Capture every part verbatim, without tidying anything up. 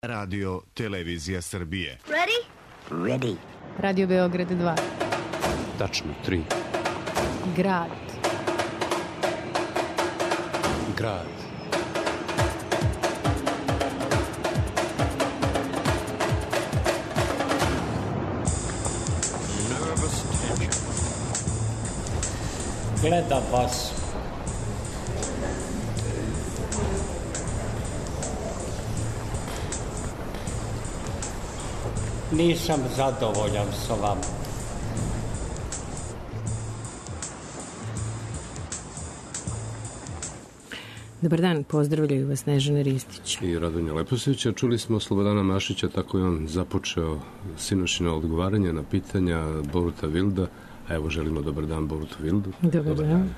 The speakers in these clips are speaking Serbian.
Radio Televizija Srbije. Ready? Ready. Radio Beograd dva. Tačno tri. Grad. Grad. Nervous tension. Gledam vas. Nisam zadovoljan sa vama. Dobar dan, pozdravljaju vas Snežana Ristić I Radonja Leposića. Čuli smo Slobodana Mašića, tako je on započeo sinoćno odgovaranje na pitanja Boruta Vilda, a evo želimo dobar dan Borutu Vildu. Dobar, dobar dan.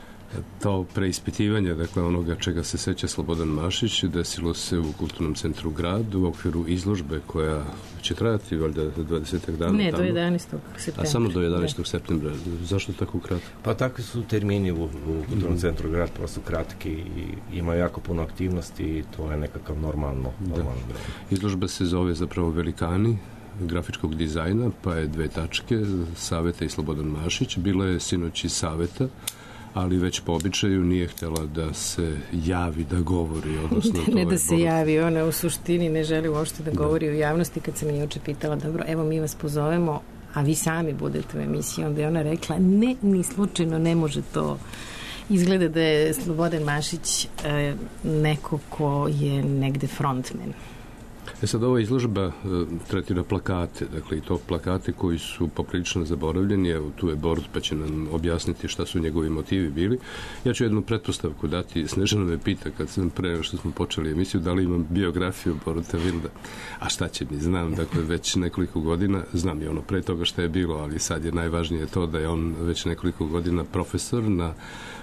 To preispitivanje, dakle onoga čega se seća Slobodan Mašić, desilo se u Kulturnom centru Grad u okviru izložbe koja će trajati valjda dvadeset dana. Ne, tamo. do jedanaestog septembra. A samo do jedanaestog septembra. Zašto tako kratko? Pa takvi su termini u, u Kulturnom centru Grad, prosto kratki i ima jako puno aktivnosti i to je nekakav normalno, normalno da. Izložba se zove zapravo Velikani grafičkog dizajna, pa je dve tačke, Saveta i Slobodan Mašić. Bila je sinoć i Saveta, ali već po običaju nije htjela da se javi, da govori. Odnosno, ne to da je se Borut... javi, ona u suštini ne želi uopšte da govori da. u javnosti. Kad sam je juče pitala, dobro, evo mi vas pozovemo, a vi sami budete u emisiji, onda je ona rekla, ne, ni slučajno ne može to. Izgleda da je Slobodan Mašić e, neko ko je negde frontman. E sad, ova izložba e, tretira plakate, dakle i to plakate koji su poprilično zaboravljeni. Evo, tu je Borut pa će nam objasniti šta su njegovi motivi bili. Ja ću jednu pretpostavku dati. Snežana me pita kad sam pre što smo počeli emisiju da li imam biografiju Boruta Vilda. A šta će mi? Znam, dakle već nekoliko godina, znam i ono pre toga šta je bilo, ali sad je najvažnije to da je on već nekoliko godina profesor na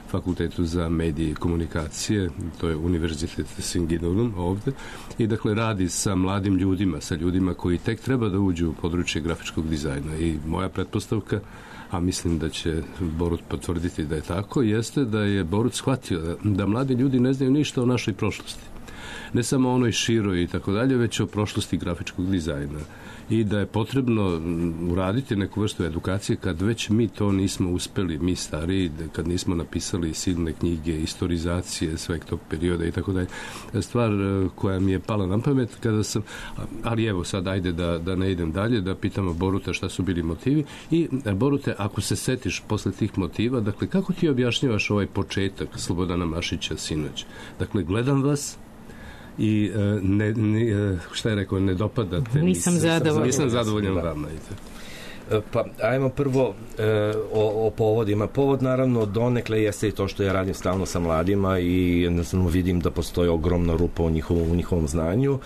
Fakultetu za medije i komunikacije, to je Univerzitet Singinulum ovde, i dakle radi sa mladim ljudima, sa ljudima koji tek treba da uđu u područje grafičkog dizajna. I moja pretpostavka, a mislim da će Borut potvrditi da je tako, jeste da je Borut shvatio da, da mladi ljudi ne znaju ništa o našoj prošlosti. Ne samo o onoj široj i tako dalje, već o prošlosti grafičkog dizajna. I da je potrebno uraditi neku vrstu edukacije kad već mi to nismo uspeli, mi stariji, kad nismo napisali silne knjige, istorizacije sveg tog perioda i tako dalje. Stvar koja mi je pala na pamet kada sam, ali evo sad ajde da, da ne idem dalje, da pitamo Boruta šta su bili motivi. I Borute, ako se setiš posle tih motiva, dakle kako ti objašnjavaš ovaj početak Slobodana Mašića sinoć? Dakle, gledam vas i ne, ne, šta je rekao, ne dopadate. Nisam zadovoljan. Nisam zadovoljan vama. Pa, ajmo prvo e, o, o povodima. Povod, naravno, donekle jeste i to što ja radim stalno sa mladima i jednostavno vidim da postoji ogromna rupa u njihovom, u njihovom znanju.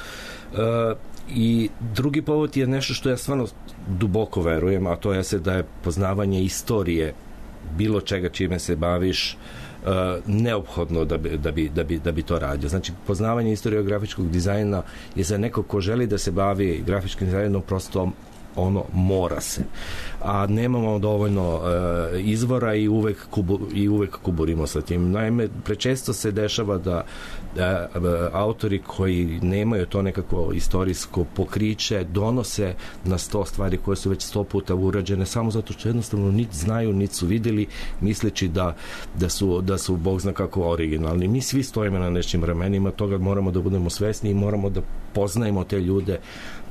E, I drugi povod je nešto što ja stvarno duboko verujem, a to je se da je poznavanje istorije bilo čega čime se baviš Uh, neophodno da bi, da, bi, da, bi, da bi to radio. Znači, poznavanje istorije grafičkog dizajna je za neko ko želi da se bavi grafičkim dizajnom prosto ono mora se. A nemamo dovoljno uh, izvora i uvek, kubu, i uvek kuburimo sa tim. Naime, prečesto se dešava da uh, autori koji nemaju to nekako istorijsko pokriće donose na sto stvari koje su već sto puta urađene samo zato što jednostavno niti znaju, niti su videli, misleći da, da, su, da su Bog zna kako originalni. Mi svi stojimo na nečim ramenima, toga moramo da budemo svesni i moramo da poznajemo te ljude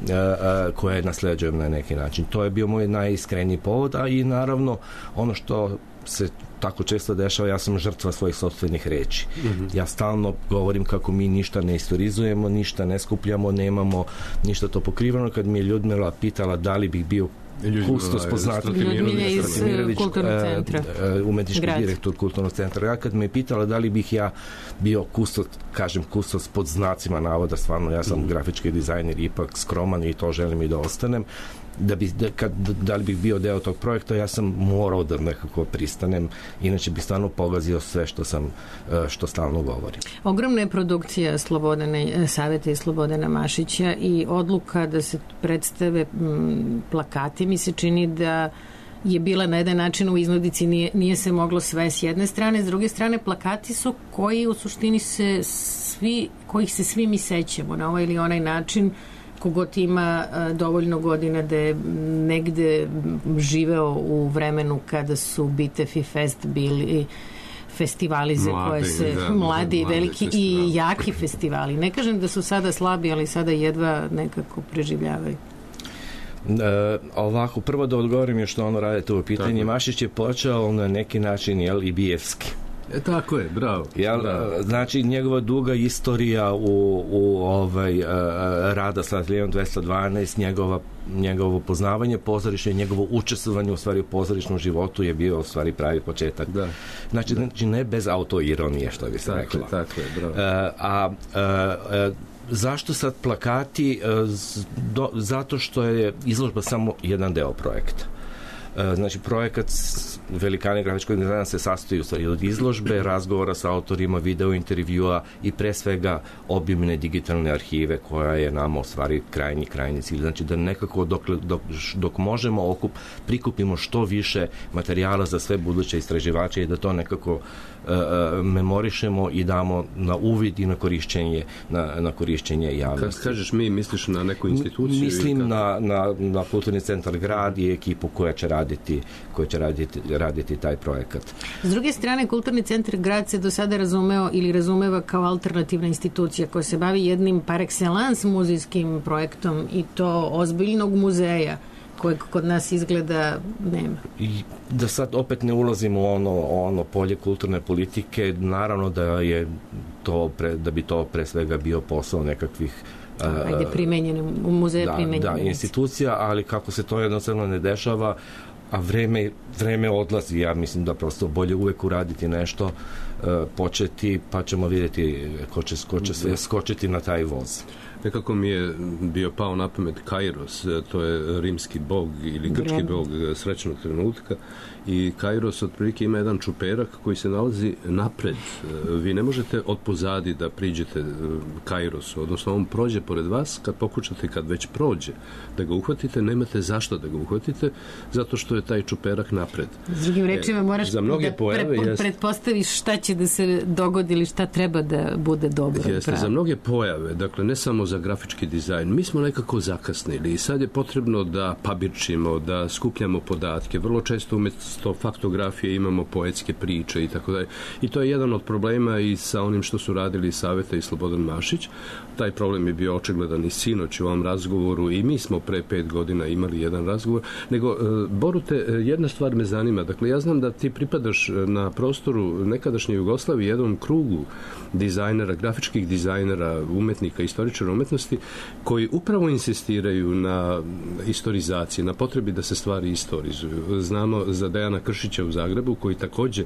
uh, uh, koje nasleđujemo na neki način. To je bio moj najiskreniji povod, a i naravno ono što se tako često dešava, ja sam žrtva svojih sopstvenih reči. Mm-hmm. Ja stalno govorim kako mi ništa ne istorizujemo, ništa ne skupljamo, nemamo ništa to pokrivano. Kad mi je Ljudmila pitala da li bih bio kustos poznati Ljudmila iz Kulturnog centra, umetnički direktor Kulturnog centra. Ja kad me je pitala da li bih ja bio kustos, kažem kustos pod znacima navoda, stvarno ja sam mm. grafički dizajner, ipak skroman i to želim i da ostanem. Da, bi, da, kad, da li bih bio deo tog projekta, ja sam morao da nekako pristanem, inače bi stvarno pogazio sve što sam, što stalno govorim. Ogromna je produkcija Slobodana, Saveta i Slobodana Mašića i odluka da se predstave m, plakati mi se čini da je bila na jedan način u iznudici, nije, nije se moglo sve s jedne strane, s druge strane plakati su koji u suštini se svi, kojih se svi mi sećamo na ovaj ili onaj način, kogod ima dovoljno godina da je negde živeo u vremenu kada su Bitev i Fest bili festivali za mladi, koje se da, mladi i mladi veliki festivali. i jaki festivali. Ne kažem da su sada slabi, ali sada jedva nekako preživljavaju. E, ovako, prvo da odgovorim još što ono radite u pitanju. Tako. Mašić je počeo na neki način, jel, i bijevski. E, tako je, bravo. Jel, bravo. Znači, njegova duga istorija u, u ovaj, uh, rada sa Ateljeom dvesta dvanaest, njegova, njegovo poznavanje pozorišta i njegovo učestvovanje u stvari u pozorišnom životu je bio u stvari pravi početak. Da. Znači, da. znači ne bez autoironije, što bi se tako reklo. Je, tako je, bravo. Uh, a uh, uh, zašto sad plakati? Uh, do, zato što je izložba samo jedan deo projekta. Znači, projekat Velikani grafičkog dizajna se sastoji u stvari od izložbe, razgovora sa autorima, video intervjua i pre svega obimne digitalne arhive koja je nama u stvari krajnji, krajnji cilj. Znači, da nekako dok, dok, dok možemo okup, prikupimo što više materijala za sve buduće istraživače i da to nekako uh, memorišemo i damo na uvid i na korišćenje, na, na korišćenje javnosti. Kad kažeš mi, misliš na neku instituciju? Mislim na, na, na Kulturni centar Grad i ekipu koja će raditi raditi, koji će raditi, raditi taj projekat. S druge strane, Kulturni centar Grad se do sada razumeo ili razumeva kao alternativna institucija koja se bavi jednim par excellence muzejskim projektom i to ozbiljnog muzeja kojeg kod nas izgleda nema. I da sad opet ne ulazimo u ono, ono polje kulturne politike, naravno da je to pre, da bi to pre svega bio posao nekakvih Ajde, primenjene, u muzeje da, primenjene. Da, institucija, ali kako se to jednostavno ne dešava, a vreme, vreme odlazi, ja mislim da prosto bolje uvek uraditi nešto, uh, početi, pa ćemo vidjeti ko će, ko će sve skočiti na taj voz. Nekako mi je bio pao na pamet Kairos, to je rimski bog ili grčki bog srećnog trenutka i Kairos otprilike ima jedan čuperak koji se nalazi napred. Vi ne možete od pozadi da priđete Kairosu, odnosno on prođe pored vas, kad pokušate, kad već prođe da ga uhvatite, nemate zašto da ga uhvatite, zato što je taj čuperak napred. S drugim rečima moraš za mnoge da pojave, pre, jest, pretpostaviš šta će da se dogodi ili šta treba da bude dobro. Jeste, pravi. Za mnoge pojave, dakle ne samo za grafički dizajn, mi smo nekako zakasnili i sad je potrebno da pabirčimo, da skupljamo podatke, vrlo često umjesto faktografije imamo poetske priče i tako dalje. I to je jedan od problema i sa onim što su radili Saveta i Slobodan Mašić. Taj problem je bio očigledan i sinoć u ovom razgovoru i mi smo pre pet godina imali jedan razgovor. Nego, Borute, jedna stvar me zanima. Dakle, ja znam da ti pripadaš na prostoru nekadašnje Jugoslavije jednom krugu dizajnera, grafičkih dizajnera, umetnika, istoričara umetnosti, koji upravo insistiraju na istorizaciji, na potrebi da se stvari istorizuju. Znamo za Dejana Kršića u Zagrebu, koji takođe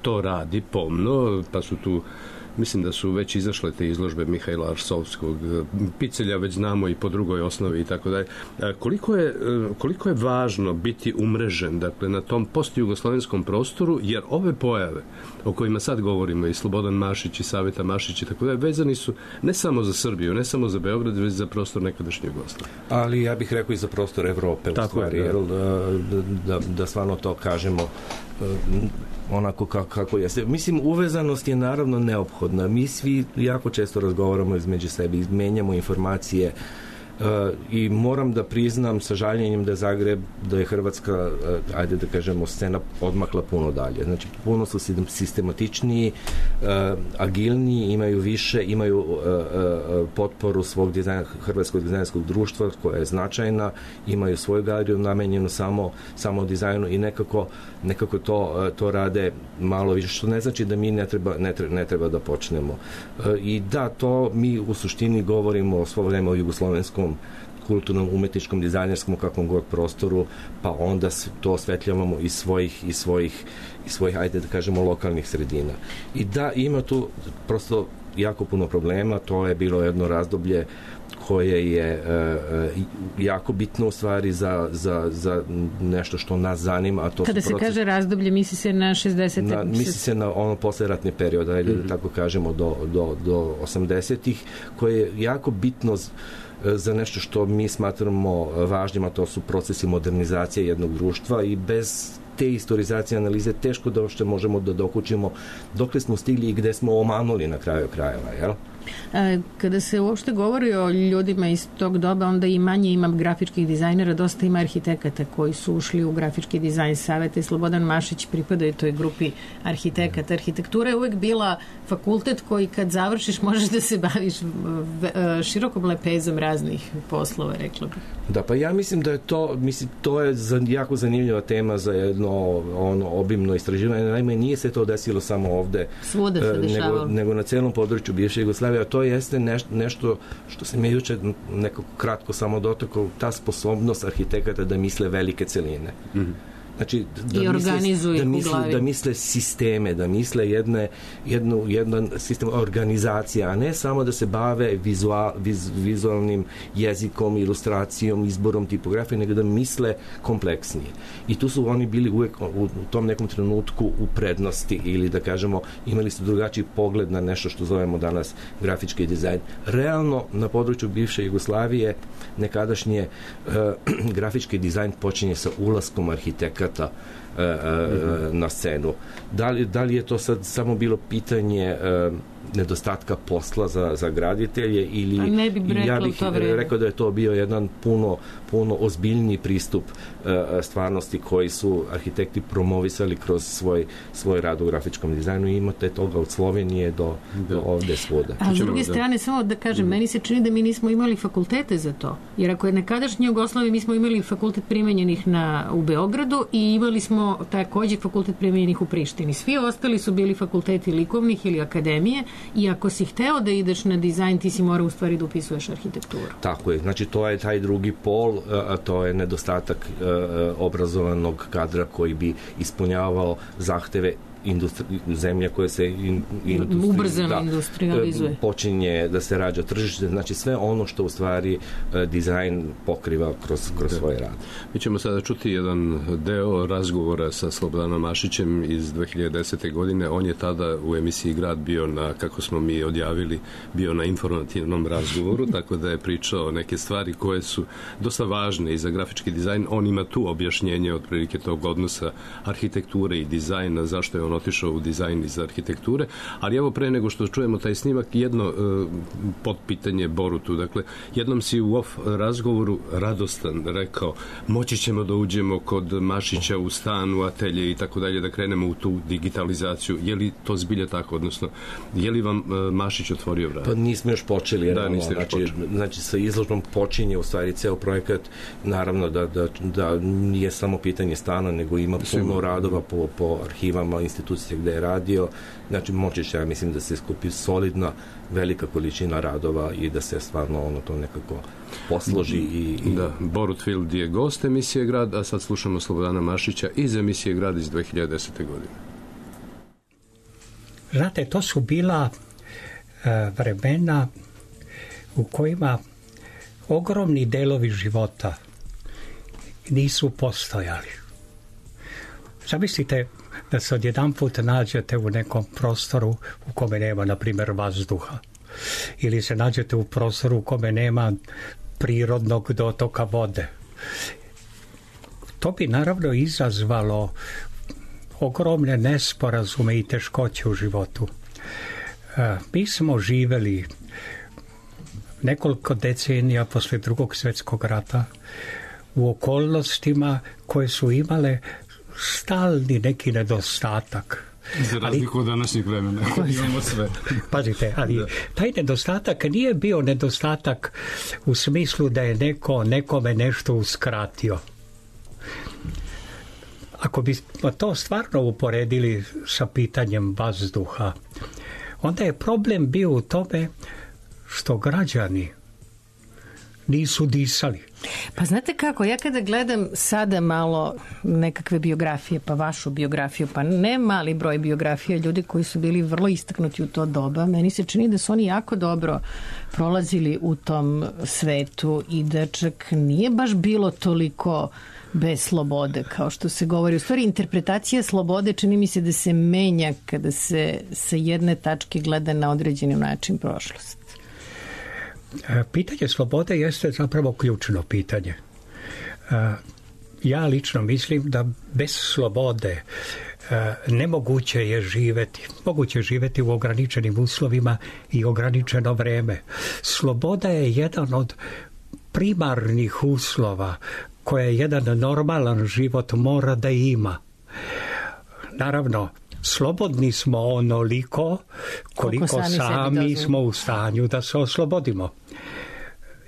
to radi pomno, pa su tu, mislim da su već izašle te izložbe Mihajla Arsovskog, Picelja već znamo i po drugoj osnovi i tako dalje. Koliko je, koliko je važno biti umrežen, dakle, na tom postjugoslovenskom prostoru, jer ove pojave o kojima sad govorimo, i Slobodan Mašić i Saveta Mašić i tako dalje, vezani su ne samo za Srbiju, ne samo za Beograd, već za prostor nekadašnje Jugoslavije. Ali ja bih rekao i za prostor Evrope, u stvari, je, da. Da, da, da stvarno to kažemo onako kako, kako jeste. Mislim, uvezanost je naravno neophodna. Mi svi jako često razgovaramo između sebe, izmenjamo informacije uh, i moram da priznam sa žaljenjem da je Zagreb, da je Hrvatska, uh, ajde da kažemo, scena odmakla puno dalje. Znači, puno su sistematičniji, uh, agilniji, imaju više, imaju uh, uh, potporu svog dizajna, Hrvatskog dizajnerskog društva koja je značajna, imaju svoju galeriju namenjenu samo, samo dizajnu i nekako nekako to, to rade malo više, što ne znači da mi ne treba, ne treba, ne treba da počnemo. I da, to mi u suštini govorimo svo vreme o jugoslovenskom kulturnom, umetničkom, dizajnerskom, kakvom god prostoru, pa onda to osvetljavamo iz svojih, iz svojih, iz svojih, ajde da kažemo, lokalnih sredina. I da, ima tu prosto jako puno problema, to je bilo jedno razdoblje koje je uh, jako bitno u stvari za, za, za nešto što nas zanima. A to Kada se proces... kaže razdoblje, misli se na šezdesete? Na, misli se na ono posleratni period, ajde mm-hmm. da tako kažemo, do, do, do osamdesetih, koje je jako bitno z, za nešto što mi smatramo važnim, a to su procesi modernizacije jednog društva i bez te istorizacije analize teško da uopšte možemo da dokučimo dokle smo stigli i gde smo omanuli na kraju krajeva, jel? Kada se uopšte govori o ljudima iz tog doba, onda i manje ima grafičkih dizajnera, dosta ima arhitekata koji su ušli u grafički dizajn saveta i Slobodan Mašić pripada i toj grupi arhitekata. Arhitektura je uvek bila fakultet koji kad završiš možeš da se baviš širokom lepezom raznih poslova, rekla bih. Da, pa ja mislim da je to, mislim, to je jako zanimljiva tema za jedno ono obimno istraživanje. Naime, nije se to desilo samo ovde, svuda se dešavalo, nego, nego na celom području bivše Jugoslavije, a to jeste neš, nešto što se mi juče nekako kratko samo dotakao, ta sposobnost arhitekata da misle velike celine. Mm-hmm. Znači, da, misle, da, misle, da misle sisteme, da misle jedne, jednu, jedan sistem organizacije, a ne samo da se bave vizual, viz, vizualnim jezikom, ilustracijom, izborom tipografije, nego da misle kompleksnije. I tu su oni bili uvek u, u tom nekom trenutku u prednosti ili da kažemo imali su drugačiji pogled na nešto što zovemo danas grafički dizajn. Realno na području bivše Jugoslavije nekadašnje uh, grafički dizajn počinje sa ulaskom arhitekata na scenu. Da li, da li je to sad samo bilo pitanje uh, nedostatka posla za, za graditelje ili ne bi ja bih rekao da je to bio jedan puno, puno ozbiljniji pristup uh, stvarnosti koji su arhitekti promovisali kroz svoj, svoj rad u grafičkom dizajnu i imate toga od Slovenije do, da. do ovde svuda. A s druge strane, samo da kažem, mm. meni se čini da mi nismo imali fakultete za to. Jer ako je nekadašnji Jugoslavije, mi smo imali fakultet primenjenih na, u Beogradu i imali smo takođe fakultet primenjenih u Prištini. Svi ostali su bili fakulteti likovnih ili akademije i ako si hteo da ideš na dizajn, ti si morao u stvari da upisuješ arhitekturu. Tako je. Znači, to je taj drugi pol, a to je nedostatak obrazovanog kadra koji bi ispunjavao zahteve industri, zemlja koja se in, industri, ubrzano da, industrializuje. Počinje da se rađa tržište, znači sve ono što u stvari dizajn pokriva kroz, kroz svoj rad. Mi ćemo sada čuti jedan deo razgovora sa Slobodanom Mašićem iz dve hiljade desete. godine. On je tada u emisiji Grad bio na, kako smo mi odjavili, bio na informativnom razgovoru, tako da je pričao neke stvari koje su dosta važne i za grafički dizajn. On ima tu objašnjenje otprilike tog odnosa arhitekture i dizajna, zašto je on otišao u dizajn iz arhitekture, ali evo pre nego što čujemo taj snimak, jedno uh, potpitanje Borutu. Dakle, jednom si u off razgovoru radostan rekao, moći ćemo da uđemo kod Mašića u stan, u atelje i tako dalje, da krenemo u tu digitalizaciju. Je li to zbilja tako, odnosno, je li vam uh, Mašić otvorio vrat? Pa nismo još počeli. Da, niste još znači, počeli. Znači, sa izložbom počinje u stvari ceo projekat, naravno da, da, da nije samo pitanje stana, nego ima puno radova po, po arhivama, institucije gde je radio, znači moći će, ja mislim, da se skupi solidna velika količina radova i da se stvarno ono to nekako posloži i... i... Da, Borut Field je gost emisije Grad, a sad slušamo Slobodana Mašića iz emisije Grad iz dve hiljade desete. godine. Znate, to su bila e, vremena u kojima ogromni delovi života nisu postojali. Zamislite da se odjedan put nađete u nekom prostoru u kome nema, na primjer, vazduha. Ili se nađete u prostoru u kome nema prirodnog dotoka vode. To bi naravno izazvalo ogromne nesporazume i teškoće u životu. Mi smo živeli nekoliko decenija posle Drugog svjetskog rata u okolnostima koje su imale stalni neki nedostatak. Za razliku od današnjeg vremena. Imamo sve. Pazite, ali taj nedostatak nije bio nedostatak u smislu da je neko nekome nešto uskratio. Ako bi to stvarno uporedili sa pitanjem vazduha, onda je problem bio u tome što građani nisu disali. Pa znate kako, ja kada gledam sada malo nekakve biografije, pa vašu biografiju, pa ne mali broj biografija ljudi koji su bili vrlo istaknuti u to doba, meni se čini da su oni jako dobro prolazili u tom svetu i da čak nije baš bilo toliko bez slobode, kao što se govori. U stvari, interpretacija slobode čini mi se da se menja kada se sa jedne tačke gleda na određeni način prošlost. Pitanje slobode jeste zapravo ključno pitanje. Ja lično mislim da bez slobode nemoguće je živjeti. Moguće je živjeti u ograničenim uslovima i ograničeno vreme. Sloboda je jedan od primarnih uslova koje jedan normalan život mora da ima. Naravno, slobodni smo onoliko koliko sami, sami smo u stanju da se oslobodimo.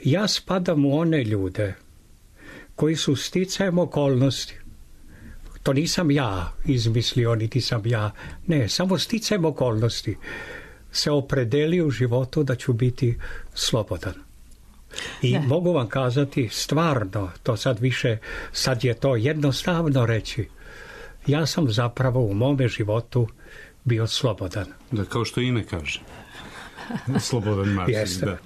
Ja spadam u one ljude koji su sticajem okolnosti. To nisam ja izmislio, niti sam ja. Ne, samo sticajem okolnosti se opredeli u životu da ću biti slobodan. I da. Mogu vam kazati stvarno, to sad više, sad je to jednostavno reći. Ja sam zapravo u mome životu bio slobodan. Da, kao što ime kaže. Slobodan Marsin, da.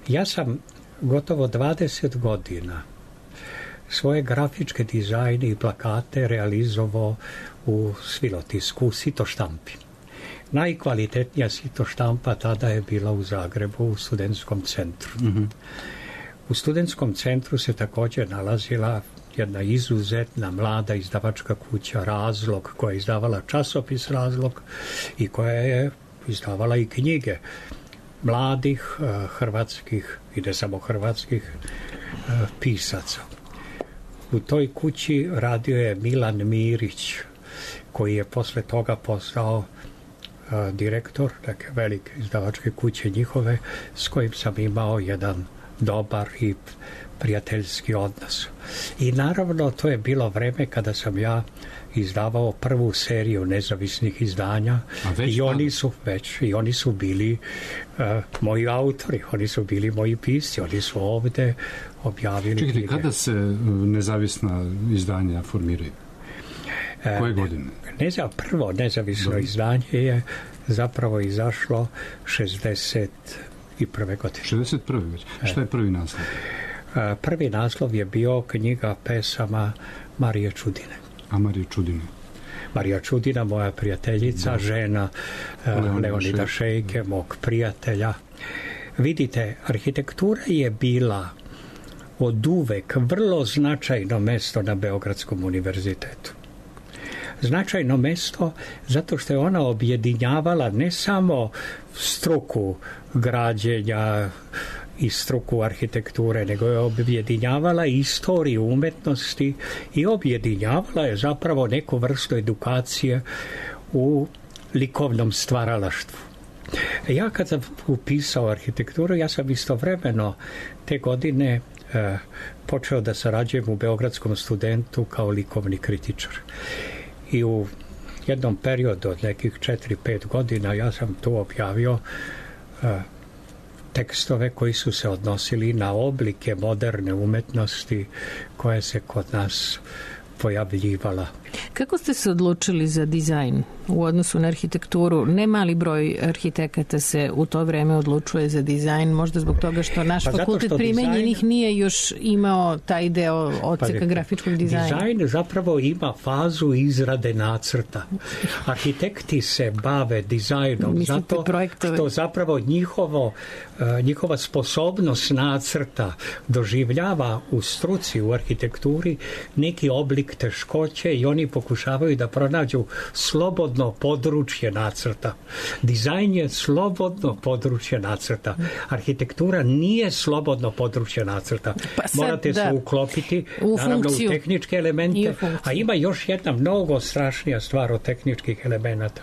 Ja sam gotovo dvadeset godina svoje grafičke dizajne i plakate realizovao u Svilotisku, u Sitoštampi. Najkvalitetnija Sitoštampa tada je bila u Zagrebu, u studentskom centru. Mm-hmm. U studentskom centru se također nalazila jedna izuzetna mlada izdavačka kuća Razlog, koja je izdavala časopis Razlog i koja je izdavala i knjige mladih uh, hrvatskih i ne samo hrvatskih uh, pisaca. U toj kući radio je Milan Mirić, koji je posle toga postao uh, direktor neke velike izdavačke kuće njihove, s kojim sam imao jedan dobar i prijateljski odnos. I naravno to je bilo vreme kada sam ja izdavao prvu seriju nezavisnih izdanja i oni su već i oni su bili uh, moji autori, oni su bili moji pisci, oni su ovde objavili. Čekajte, knjige. Kada se nezavisna izdanja formiraju? Koje godine? Ne za, prvo nezavisno Do. izdanje je zapravo izašlo šezdeset prve godine. šezdeset prve već. E. Šta je prvi naslov? Prvi naslov je bio knjiga pesama Marije Čudine. A Marije Čudine? Marija Čudina, moja prijateljica, da. žena Leonida, Leonida Šejke, mog prijatelja. Vidite, arhitektura je bila od uvek vrlo značajno mesto na Beogradskom univerzitetu. Značajno mesto zato što je ona objedinjavala ne samo struku građenja i struku arhitekture, nego je objedinjavala istoriju umetnosti i objedinjavala je zapravo neku vrstu edukacije u likovnom stvaralaštvu. Ja kad sam upisao arhitekturu, ja sam istovremeno te godine eh, počeo da sarađujem u Beogradskom studentu kao likovni kritičar. I u jednom periodu od nekih četiri pet godina ja sam tu objavio eh, tekstove koji su se odnosili na oblike moderne umetnosti koje se kod nas pojavljivala. Kako ste se odlučili za dizajn u odnosu na arhitekturu? Ne mali broj arhitekata se u to vreme odlučuje za dizajn, možda zbog toga što naš pa fakultet primenjenih dizajn... nije još imao taj deo odseka pa, grafičkog dizajna. Dizajn zapravo ima fazu izrade nacrta. Arhitekti se bave dizajnom Mislite zato projektove. Što zapravo njihovo, njihova sposobnost nacrta doživljava u struci, u arhitekturi neki oblik teškoće i oni pokušavaju da pronađu slobodno područje nacrta. Dizajn je slobodno područje nacrta. Arhitektura nije slobodno područje nacrta. Pa sad, Morate da, se uklopiti u naravno funkciju. U tehničke elemente, a ima još jedna mnogo strašnija stvar od tehničkih elemenata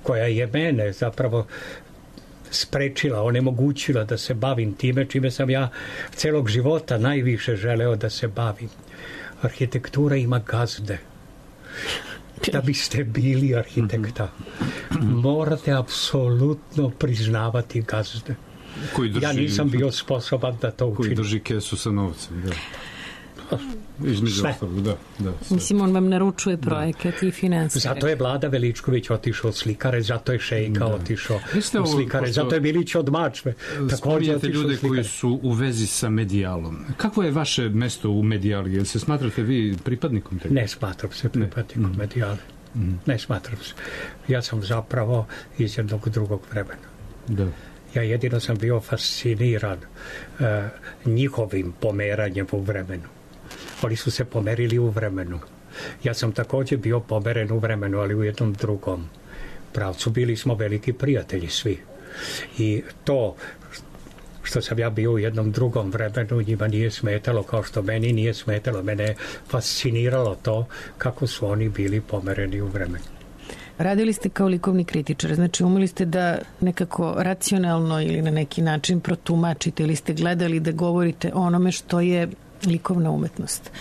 koja je mene zapravo sprečila, onemogućila da se bavim time čime sam ja celog života najviše želeo da se bavim. Arhitektura ima gazde. Da biste bili arhitekta, morate apsolutno priznavati gazde. Drži, ja nisam bio sposoban da to učinim. Koji drži kesu sa novcem, da. Između ostalog, da, da. Mislim, on vam naručuje projekat i finansije. Zato je Vlada Veličković otišao od slikare, zato je Šejka da. otišao od slikare, zato je Milić od Mačve. Spominjate ljude koji su u vezi sa medijalom. Kako je vaše mesto u medijali? Jel se smatrate vi pripadnikom tega? Ne smatram se pripadnikom ne. medijale. Mm. Ne smatram se. Ja sam zapravo iz jednog drugog vremena. Da. Ja jedino sam bio fasciniran uh, njihovim pomeranjem u vremenu. Oni su se pomerili u vremenu. Ja sam također bio pomeren u vremenu, ali u jednom drugom pravcu. Bili smo veliki prijatelji svi. I to što sam ja bio u jednom drugom vremenu, njima nije smetalo, kao što meni nije smetalo. Mene je fasciniralo to kako su oni bili pomereni u vremenu. Radili ste kao likovni kritičar, znači umeli ste da nekako racionalno ili na neki način protumačite ili ste gledali da govorite o onome što je likovna umetnost.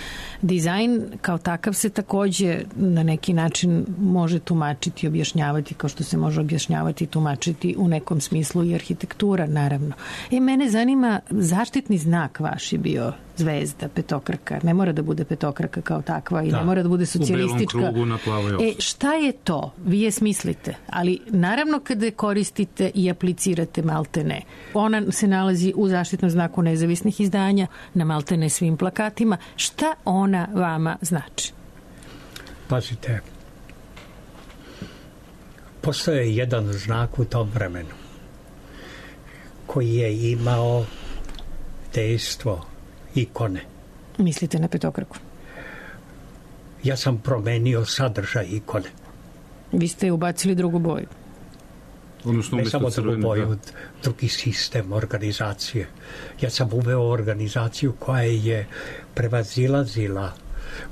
Dizajn kao takav se takođe na neki način može tumačiti i objašnjavati kao što se može objašnjavati i tumačiti u nekom smislu i arhitektura, naravno. E, mene zanima, zaštitni znak vaš je bio zvezda, petokraka. Ne mora da bude petokraka kao takva i da, ne mora da bude socijalistička. U belom krugu na plavoj osnovi. E, šta je to? Vi je smislite, ali naravno kada koristite i aplicirate maltene. Ona se nalazi u zaštitnom znaku nezavisnih izdanja, na maltene svim plakatima. Šta ona vama znači? Pazite, postoje jedan znak u tom vremenu koji je imao dejstvo ikone. Mislite na petokraku? Ja sam promenio sadržaj ikone. Vi ste ubacili drugu boju. Odnosno, ne samo drugu boju, drugi sistem organizacije. Ja sam uveo organizaciju koja je prevazilazila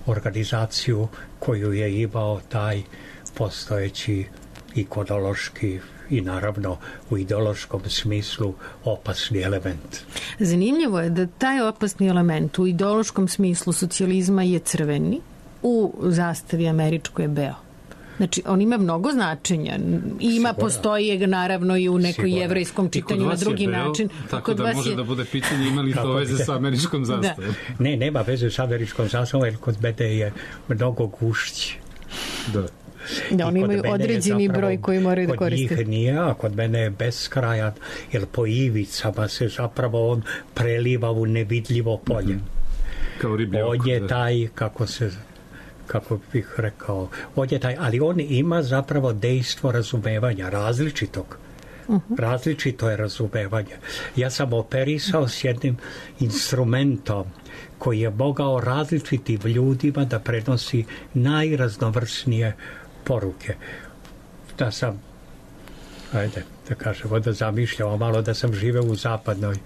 organizaciju koju je imao taj postojeći ikonološki i naravno u ideološkom smislu opasni element. Zanimljivo je da taj opasni element u ideološkom smislu socijalizma je crveni, u zastavi američkoj je beo. Znači, on ima mnogo značenja. Ima, Sigurno. Postoji naravno i u nekoj Sigurno. Jevrejskom čitanju na drugi beo, način. Tako kod da može je... da bude pitanje imali to veze sa američkom zastavom. Da. Ne, nema veze sa američkom zastavom, jer kod mene je mnogo gušći. Da. Da, oni imaju određeni zapravo, broj koji moraju da koriste. Kod njih nije, a kod mene je beskrajan, jer po ivicama se zapravo on preliva u nevidljivo polje. Mm-hmm. Kao riblji oko. On je taj, kako se... kako bih rekao, on je taj, ali on ima zapravo dejstvo razumevanja, različitog. Uh-huh. Različito je razumevanje. Ja sam operisao s jednim instrumentom koji je mogao različitim ljudima da prenosi najraznovrsnije poruke. Da sam, ajde, da kažemo, da zamišljamo malo da sam živeo u zapadnoj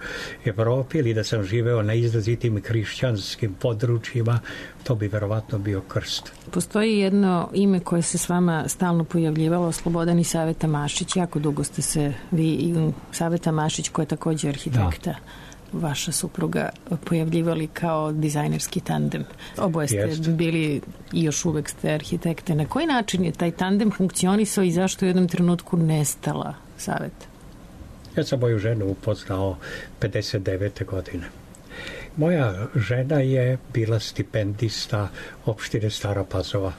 Evropi ili da sam živeo na izrazitim hrišćanskim područjima, to bi verovatno bio krst. Postoji jedno ime koje se s vama stalno pojavljivalo, Slobodan i Saveta Mašić. Jako dugo ste se vi i Saveta Mašić, koja je također arhitekta, da. Vaša supruga, pojavljivali kao dizajnerski tandem. Oboje ste Jest. bili i još uvek ste arhitekte. Na koji način je taj tandem funkcionisao i zašto je u jednom trenutku nestala Saveta? Ja sam moju ženu upoznao pedeset devete godine. Moja žena je bila stipendista opštine Stara Pazova.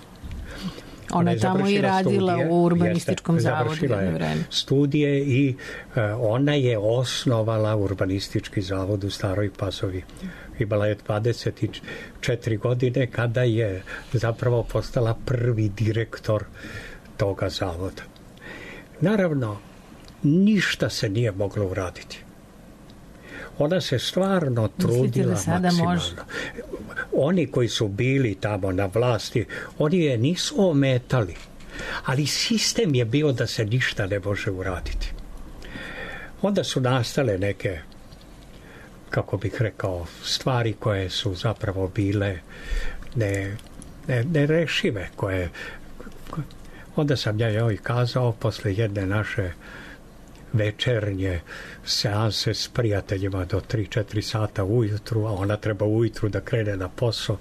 Ona, Ona je tamo i radila studije, u urbanističkom jeste, zavodu. Završila je studije i uh, ona je osnovala urbanistički zavod u Staroj Pazovi. Imala je dvadeset četiri godine kada je zapravo postala prvi direktor toga zavoda. Naravno, ništa se nije moglo uraditi. Ona se stvarno trudila maksimalno. Može? Oni koji su bili tamo na vlasti, oni je nisu ometali, ali sistem je bio da se ništa ne može uraditi. Onda su nastale neke, kako bih rekao, stvari koje su zapravo bile ne, ne, nerešive, koje onda sam ja joj kazao posle jedne naše večernje seanse s prijateljima do tri četiri sata ujutru, a ona treba ujutru da krene na posao.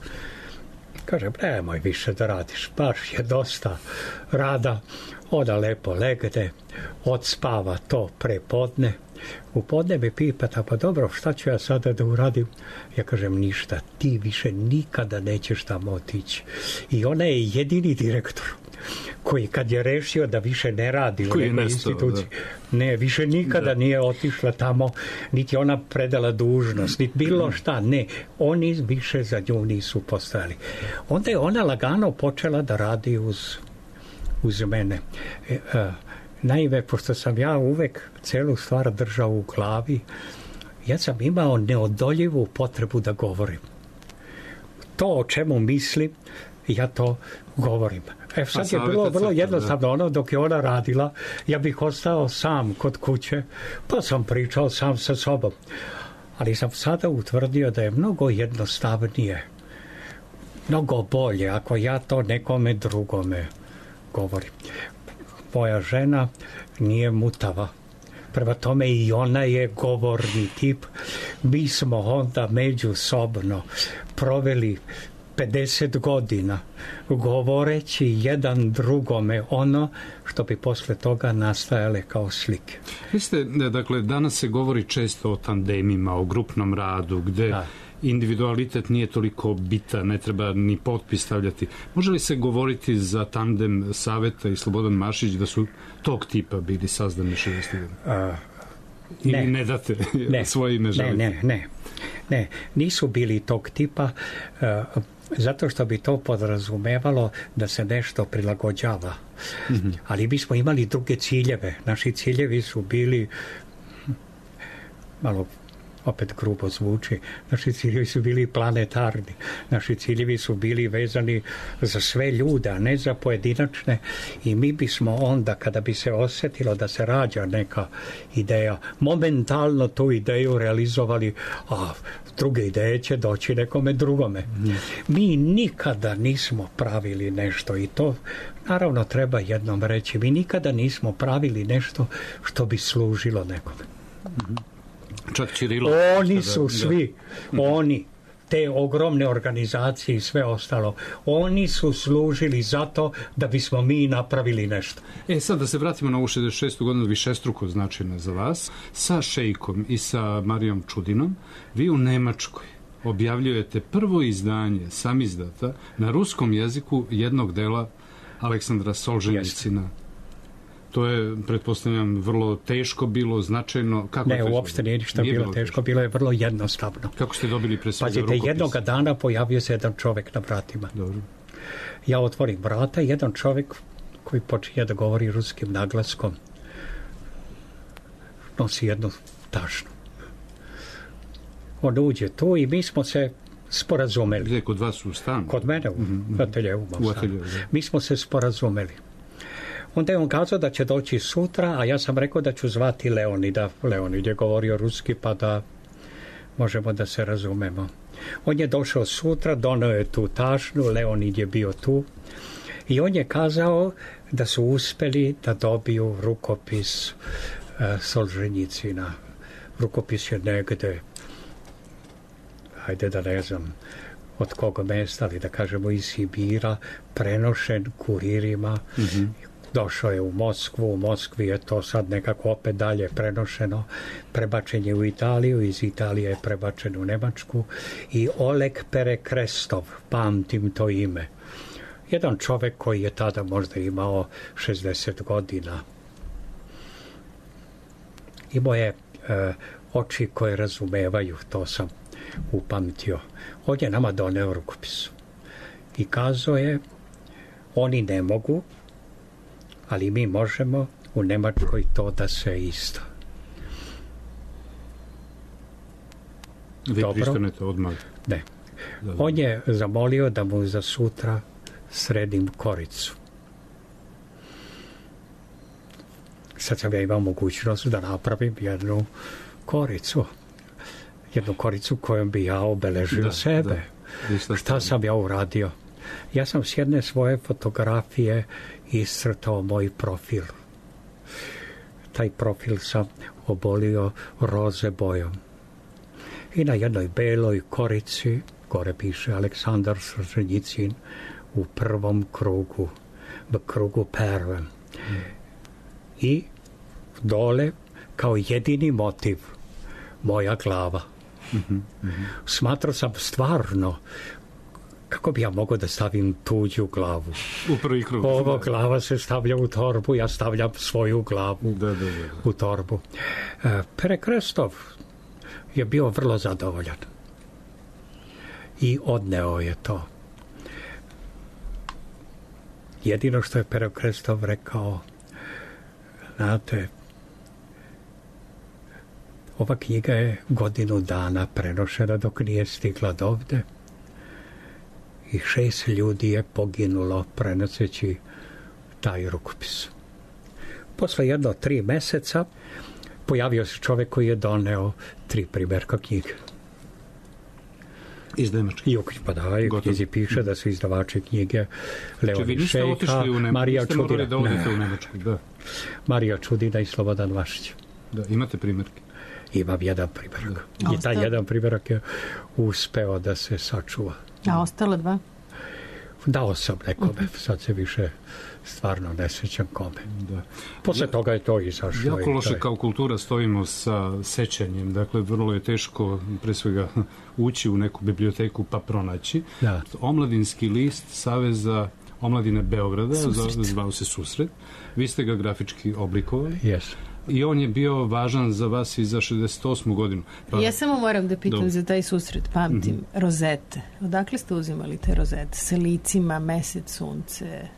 Kažem, nemoj više da radiš, baš je dosta rada. Ona lepo legne, odspava to prepodne. U podne me pipata, pa dobro, šta ću ja sada da uradim? Ja kažem, ništa, ti više nikada nećeš tamo otići. I ona je jedini direktor koji kad je rešio da više ne radi u nekoj instituciji, da. ne, više nikada da. nije otišla tamo, niti ona predala dužnost, niti bilo šta, ne, oni više za nju nisu postojali. Onda je ona lagano počela da radi uz, uz mene. E, a, naime, pošto sam ja uvek celu stvar držao u glavi, ja sam imao neodoljivu potrebu da govorim. To o čemu mislim, ja to govorim. E sad je savjeta bilo vrlo crta, jednostavno, ono dok je ona radila, ja bih ostao sam kod kuće, pa sam pričao sam sa sobom. Ali sam sada utvrdio da je mnogo jednostavnije, mnogo bolje ako ja to nekome drugome govorim. Moja žena nije mutava. Prema tome i ona je govorni tip. Mi smo onda međusobno proveli pedeset godina govoreći jedan drugome ono što bi posle toga nastajale kao slike. Vi ste, dakle, danas se govori često o tandemima, o grupnom radu, gde da. individualitet nije toliko bitan, ne treba ni potpis stavljati. Može li se govoriti za tandem Saveta i Slobodan Mašić da su tog tipa bili sazdani šezdesetih godina? Ili ne, ne date ne, svoje ime želite? Ne, ne, ne, ne, nisu bili tog tipa, uh, zato što bi to podrazumevalo da se nešto prilagođava. Mm-hmm. Ali mi smo imali druge ciljeve. Naši ciljevi su bili, malo opet grubo zvuči, naši ciljevi su bili planetarni. Naši ciljevi su bili vezani za sve ljude, a ne za pojedinačne. I mi bismo onda, kada bi se osjetilo da se rađa neka ideja, momentalno tu ideju realizovali, a druge ideje će doći nekome drugome. Mm. Mi nikada nismo pravili nešto i to naravno treba jednom reći. Mi nikada nismo pravili nešto što bi služilo nekome. Mm. Čak Čirilo. Oni su svi, da. oni, te ogromne organizacije i sve ostalo, oni su služili zato da bismo mi napravili nešto. E sad da se vratimo na ovu šezdeset šestu godinu, višestruko značajna za vas, sa Šejkom i sa Marijom Čudinom, vi u Nemačkoj objavljujete prvo izdanje samizdata na ruskom jeziku jednog dela Aleksandra Solženjicina. Jeste. To je, pretpostavljam, vrlo teško bilo, značajno. Kako ne, uopšte nije ništa nije bilo, bilo teško, bilo je vrlo jednostavno. Kako ste dobili pre svega rukopis? Pazite, jednoga dana pojavio se jedan čovek na vratima. Dobro. Ja otvorim vrata, jedan čovek koji počinje da govori ruskim naglaskom nosi jednu tašnu. On uđe tu i mi smo se sporazumeli. Gde, kod vas u stanu? Kod mene, u mm-hmm. ateljevu. U ateljevu, mi smo se sporazumeli. Onda je on kazao da će doći sutra, a ja sam rekao da ću zvati Leonida. Leonid je govorio ruski, pa da možemo da se razumemo. On je došao sutra, doneo je tu tašnu, Leonid je bio tu i on je kazao da su uspeli da dobiju rukopis uh, Solženjicina. Rukopis je negde, hajde da ne znam od koga mesta, ali da kažemo iz Sibira, prenošen kuririma. Mm-hmm. Došao je u Moskvu, u Moskvi je to sad nekako opet dalje prenošeno, prebačen je u Italiju, iz Italije je prebačen u Nemačku i Oleg Perekrestov, pamtim to ime. Jedan čovek koji je tada možda imao šezdeset godina. Imao je e, oči koje razumevaju, to sam upamtio. On je nama doneo rukopis i kazao je, oni ne mogu, ali mi možemo u Nemačkoj to da se isto. Vi pristanete odmah? Ne. On je zamolio da mu za sutra sredim koricu. Sad sam ja imao mogućnost da napravim jednu koricu. Jednu koricu kojom bi ja obeležio da, sebe. Da. Šta sam ja uradio? Ja sam s jedne svoje fotografije iscrtao moj profil. Taj profil sam obolio roze bojom. I na jednoj beloj korici, gore piše Aleksandar Solženjicin u prvom krugu, v krugu pervem. Mm. I dole, kao jedini motiv, moja glava. Mm-hmm. Mm-hmm. Smatrao sam stvarno kako bi ja mogao da stavim tuđu glavu. U prvi krug. Ovo glava se stavlja u torbu, ja stavljam svoju glavu da, da, da, da. u torbu. E, Perekrestov je bio vrlo zadovoljan. I odneo je to. Jedino što je Perekrestov rekao, znate, ova knjiga je godinu dana prenošena dok nije stigla dovde. i šest ljudi je poginulo prenoseći taj rukopis. Posle jedno tri meseca pojavio se čovjek koji je doneo tri primjerka knjige. Iz Nemačke. I u pa da, i u knjizi piše da su izdavači knjige Leon Šejka, Marija Čudina. Da odete u Nemačku, da. Marija Čudina i Slobodan Mašić. Da, imate primjerke? Imam jedan primjerak. Da. I taj jedan primjerak je uspeo da se sačuva. A ostalo dva? Dao sam nekome, uh-huh. Sad se više stvarno ne sjećam kome. Da. Posle ja, toga je to izašlo. Jako loše taj... kao kultura stojimo sa sećanjem. Dakle, vrlo je teško pre svega ući u neku biblioteku pa pronaći. Da. Omladinski list Saveza omladine Beograda, zvao se Susret. Vi ste ga grafički oblikovali. Yes. I on je bio važan za vas i za šezdeset osmu godinu. Pa... Ja samo moram da pitam Do... za taj susret, pamtim, mm-hmm. rozete. Odakle ste uzimali te rozete? Sa licima, mesec, sunce,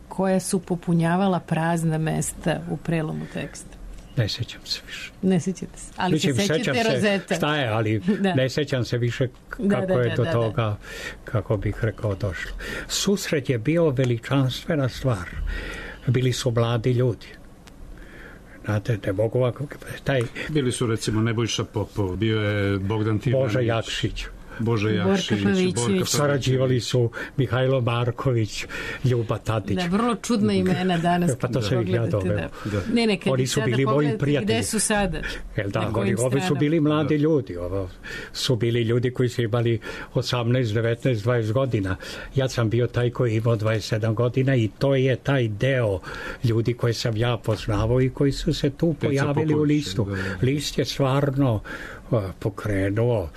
koja su popunjavala prazna mesta u prelomu teksta? Ne sjećam se više. Ne sjećate se, ali Mislim, se sjećate rozeta. Šta je, ali da. Ne sjećam se više kako da, da, je da, do da, toga, da. Kako bih rekao, došlo. Susret je bio veličanstvena stvar. Bili su mladi ljudi. Znate, ne mogu ovako... Taj... Bili su, recimo, Nebojša Popov, bio je Bogdan Tivanić. Boža Jakšić. Boža Jakšić. Sarađivali su Mihajlo Marković, Ljuba Tadić. Da, vrlo čudna imena danas. Pa to se ih ja doveo. Da. Ne, ne, kad oni su bili moji prijatelji. Gde su sada? Jel da, oni, ovi su bili mladi da. ljudi. Ovo su bili ljudi koji su imali osamnaest, devetnaest, dvadeset godina. Ja sam bio taj koji imao dvadeset sedam godina i to je taj deo ljudi koje sam ja poznavao i koji su se tu pojavili u listu. Da, da. List je stvarno uh, pokrenuo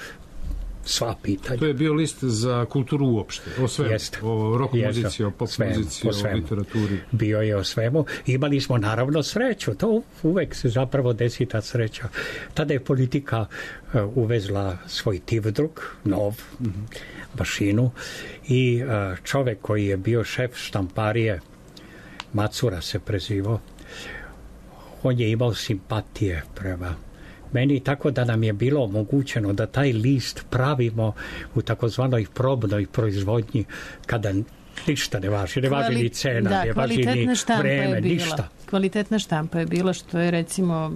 sva pitanja. To je bio list za kulturu uopšte, o svemu, Jeste. o rock Jeste. muzici, o pop svemu, muzici, o, o literaturi. Bio je o svemu. Imali smo naravno sreću, to uvek se zapravo desi ta sreća. Tada je politika uh, uvezla svoj tivdruk, nov, mm-hmm. mašinu i uh, čovek koji je bio šef štamparije, Macura se prezivao, on je imao simpatije prema meni, tako da nam je bilo omogućeno da taj list pravimo u takozvanoj probnoj proizvodnji kada ništa ne važi, ne važi Kvali... ni cena, da, ne važi ni vreme, ništa. Kvalitetna štampa je bila, što je recimo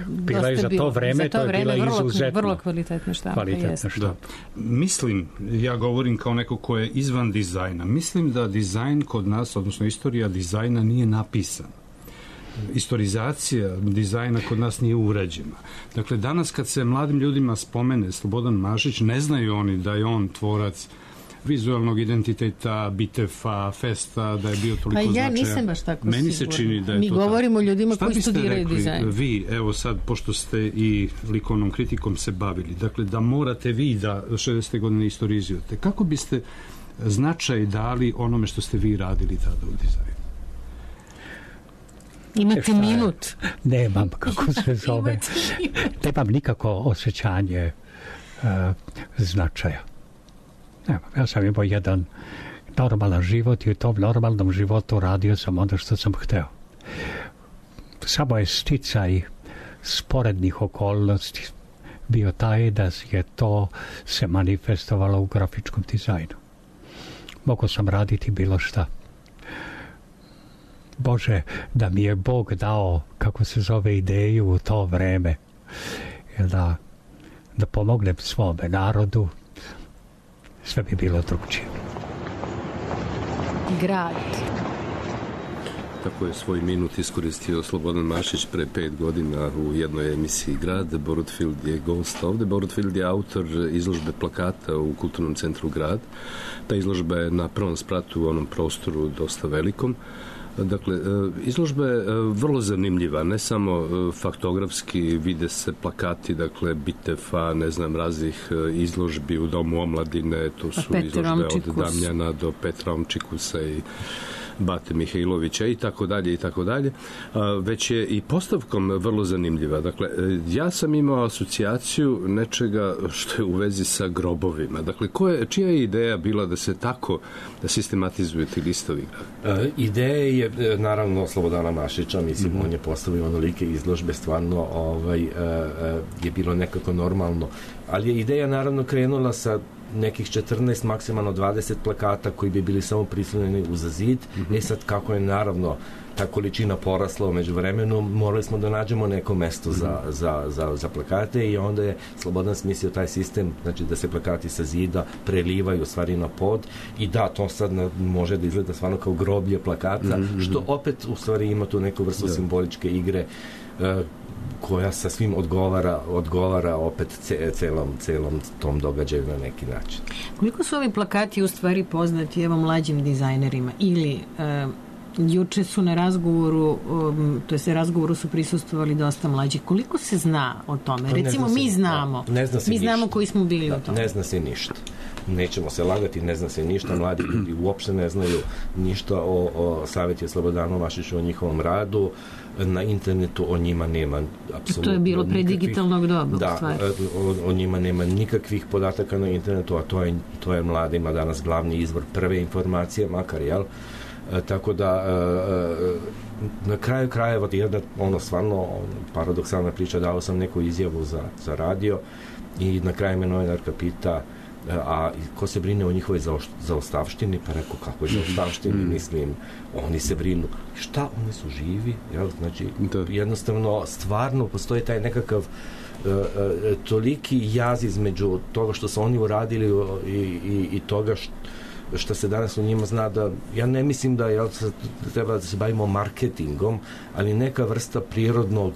bila je za to vreme, za to, to je bila vrlo, izuzetno vrlo kvalitetna štampa. Kvalitetna štampa. Da. Mislim, ja govorim kao neko ko je izvan dizajna, mislim da dizajn kod nas, odnosno istorija dizajna nije napisan. Istorizacija dizajna kod nas nije urađena. Dakle, danas kad se mladim ljudima spomene Slobodan Mašić, ne znaju oni da je on tvorac vizualnog identiteta, Bitefa, Festa, da je bio toliko značajan. Pa ja značajan. Nisam baš tako Meni sigurno. se čini da je Mi to govorimo tako. ljudima Šta koji studiraju rekli, dizajn. Vi, evo sad, pošto ste i likovnom kritikom se bavili, dakle, da morate vi da šezdesete godine istorizujete. Kako biste značaj dali onome što ste vi radili tada u dizajnu? Imate minut. Nemam, kako se zove. Nemam nikako osjećanje uh, značaja. Nemam. Ja sam imao jedan normalan život i u tom normalnom životu radio sam ono što sam hteo. Samo je sticaj sporednih okolnosti bio taj da je to se manifestovalo u grafičkom dizajnu. Mogao sam raditi bilo šta. Bože, da mi je Bog dao, kako se zove, ideju u to vreme, da, da pomognem svome narodu, sve bi bilo drugčije. Grad. Tako je svoj minut iskoristio Slobodan Mašić pre pet godina u jednoj emisiji Grad. Borut Field je gost ovde. Borut Field je autor izložbe plakata u Kulturnom centru Grad. Ta izložba je na prvom spratu u onom prostoru dosta velikom. Dakle, izložba je vrlo zanimljiva, ne samo faktografski, vide se plakati, dakle, Bitefa, ne znam, raznih izložbi u Domu omladine, to su izložbe od Damjana do Petra Omčikusa i Bate Mihajlovića i tako dalje i tako dalje, već je i postavkom vrlo zanimljiva. Dakle, ja sam imao asocijaciju nečega što je u vezi sa grobovima. Dakle, ko je, čija je ideja bila da se tako da sistematizuju ti listovi? E, ideja je, naravno, Slobodana Mašića, mislim, mm-hmm. on je postavio onolike izložbe, stvarno ovaj, e, je bilo nekako normalno. Ali je ideja, naravno, krenula sa nekih četrnaest, maksimalno dvadeset plakata koji bi bili samo prislonjeni uz zid. Mm-hmm. E sad, kako je naravno ta količina porasla umeđu vremenu, morali smo da nađemo neko mesto mm-hmm. za, za, za, za plakate i onda je Slobodan smislio taj sistem, znači da se plakati sa zida prelivaju u stvari na pod i da, to sad na, može da izgleda stvarno kao groblje plakata, mm-hmm. što opet u stvari ima tu neku vrstu da. simboličke igre uh, koja sa svim odgovara, odgovara opet ce, celom, celom tom događaju na neki način. Koliko su ovi plakati u stvari poznati evo mlađim dizajnerima ili uh, juče su na razgovoru, um, to je razgovoru su prisustvovali dosta mlađi. Koliko se zna o tome? Pa Recimo, mi se, znamo. Ne zna se mi ništa. znamo koji smo bili da, o tome. Ne zna se ništa. Nećemo se lagati, ne zna se ništa. Mladi ljudi uopšte ne znaju ništa o, o Saveti Slobodanu Mašiću, o njihovom radu. Na internetu o njima nema apsolutno. To je bilo pre digitalnog doba. Da, o, o njima nema nikakvih podataka na internetu, a to je, to je mladima danas glavni izvor prve informacije, makar, jel? E, tako da e, na kraju krajeva jedna ono stvarno paradoksalna priča, dao sam neku izjavu za, za radio i na kraju me novinarka pita a ko se brine o njihovoj zaostavštini, pa rekao kako je zaostavštini, mislim, oni se brinu. Šta, oni su živi, jel? Znači, da. jednostavno, stvarno postoji taj nekakav uh, uh, toliki jaz između toga što su oni uradili i, i, i toga što što se danas u njima zna da, ja ne mislim da jel, treba da se bavimo marketingom, ali neka vrsta prirodnog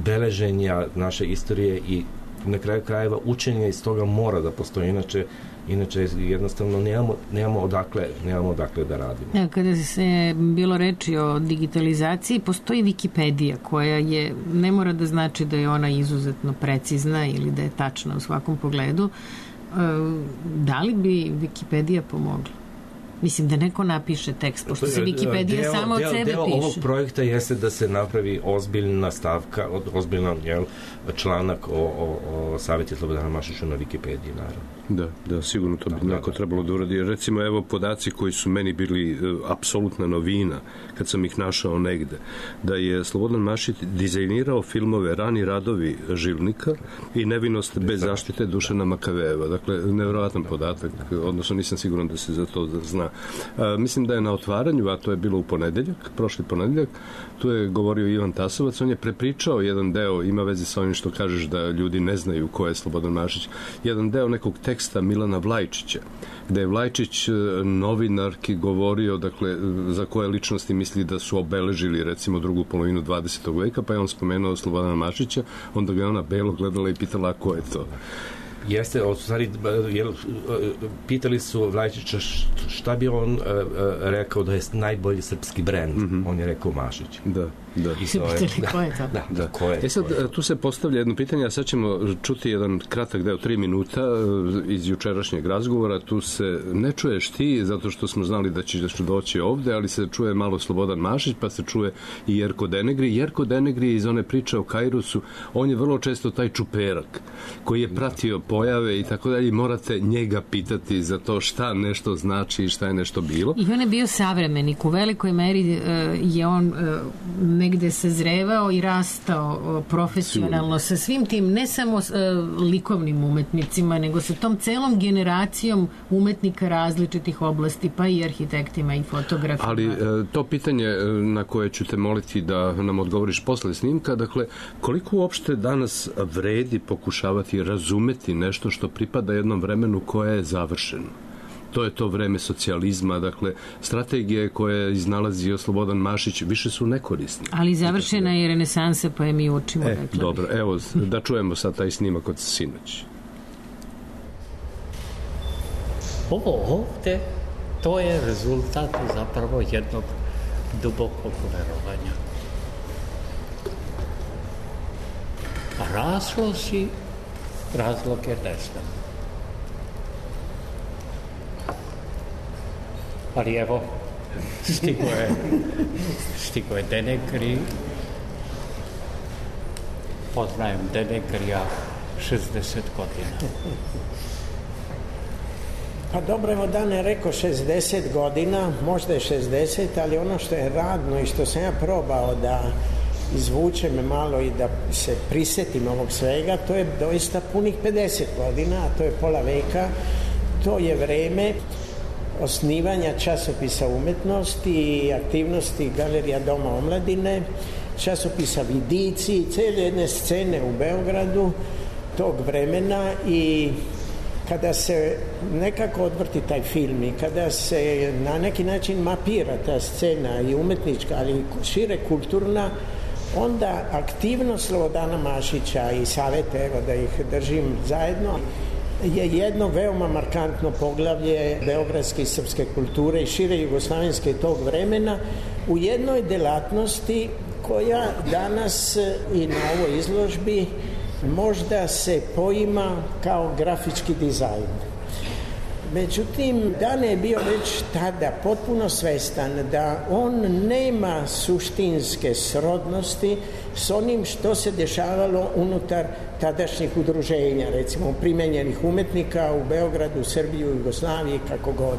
beleženja naše istorije i na kraju krajeva učenja iz toga mora da postoji, inače inače jednostavno nemamo, nemamo, odakle, nemamo odakle da radimo. Ja, kada se bilo reči o digitalizaciji, postoji Wikipedija koja je, ne mora da znači da je ona izuzetno precizna ili da je tačna u svakom pogledu. Da li bi Wikipedija pomogla? Mislim da neko napiše tekst, pošto se Wikipedija deo, samo od deo, sebe deo piše. Deo ovog projekta jeste da se napravi ozbiljna stavka, ozbiljan jel, članak o, o, o Saveti Slobodana Mašiću na Wikipediji, naravno. Da, da, sigurno to bi da, neko da, trebalo da uradi. Recimo, evo podaci koji su meni bili uh, apsolutna novina, kad sam ih našao negde, da je Slobodan Mašić dizajnirao filmove Rani radovi Žilnika i Nevinost bez zaštite Dušana Makavejeva. Dakle, nevjerovatan podatak, odnosno nisam siguran da se za to zna. A, mislim da je na otvaranju, a to je bilo u ponedeljak, prošli ponedeljak, tu je govorio Ivan Tasovac, on je prepričao jedan deo, ima veze sa onim što kažeš da ljudi ne znaju ko je Slobodan Mašić, jedan deo nekog teksta Milana Vlajčića, gde je Vlajčić novinarki govorio, dakle, za koje ličnosti misli da su obeležili, recimo, drugu polovinu dvadesetog veka, pa je on spomenuo Slobodana Mašića, onda ga je ona belo gledala i pitala ko je to. Jeste, u stvari, jel, pitali su Vlajčića šta bi on uh, rekao da je najbolji srpski brend. Mm-hmm. On je rekao Mašić. Da, da. I so je, da, ko je to? Da, da, ko je, e sad, ko je. Tu se postavlja jedno pitanje, a sad ćemo čuti jedan kratak deo, tri minuta iz jučerašnjeg razgovora. Tu se ne čuješ ti, zato što smo znali da ćeš doći ovde, ali se čuje malo Slobodan Mašić, pa se čuje i Jerko Denegri. Jerko Denegri iz one priče o Kairusu, on je vrlo često taj čuperak koji je pratio pojave i tako dalje, morate njega pitati za to šta nešto znači i šta je nešto bilo. I on je bio savremenik, u velikoj meri uh, je on uh, negde sazrevao i rastao uh, profesionalno sa svim tim, ne samo uh, likovnim umetnicima, nego sa tom celom generacijom umetnika različitih oblasti, pa i arhitektima i fotografima. Ali uh, to pitanje na koje ću te moliti da nam odgovoriš posle snimka, dakle, koliko uopšte danas vredi pokušavati razumeti nešto što pripada jednom vremenu koje je završeno? To je to vreme socijalizma, dakle, strategije koje iznalazio Slobodan Mašić više su nekorisne. Ali završena je renesansa, pa je mi učimo. E, dobro, evo, da čujemo sad taj snimak od sinoć. Ovo ovde, to je rezultat zapravo jednog dubokog verovanja. Razlozi, razloge ne znam. Ali evo, stigo je, stigo je Denegri. Poznajem Denegrija šezdeset godina. Pa dobro, evo Dan je rekao šezdeset godina, možda je šezdeset, ali ono što je radno i što sam ja probao da izvučem malo i da se prisetim ovog svega, to je doista punih pedeset godina, a to je pola veka to je vreme osnivanja časopisa umetnosti i aktivnosti Galerija Doma omladine, časopisa Vidici, cijele jedne scene u Beogradu tog vremena. I kada se nekako odvrti taj film i kada se na neki način mapira ta scena i umetnička, ali i šire kulturna, onda aktivnost Slobodana Mašića i Savete, evo da ih držim zajedno, je jedno veoma markantno poglavlje beogradske i srpske kulture i šire jugoslavenske tog vremena u jednoj delatnosti koja danas i na ovoj izložbi možda se poima kao grafički dizajn. Međutim, Dane je bio već tada potpuno svestan da on nema suštinske srodnosti s onim što se dešavalo unutar tadašnjih udruženja, recimo primenjenih umetnika u Beogradu, Srbiji, Jugoslaviji, kako god.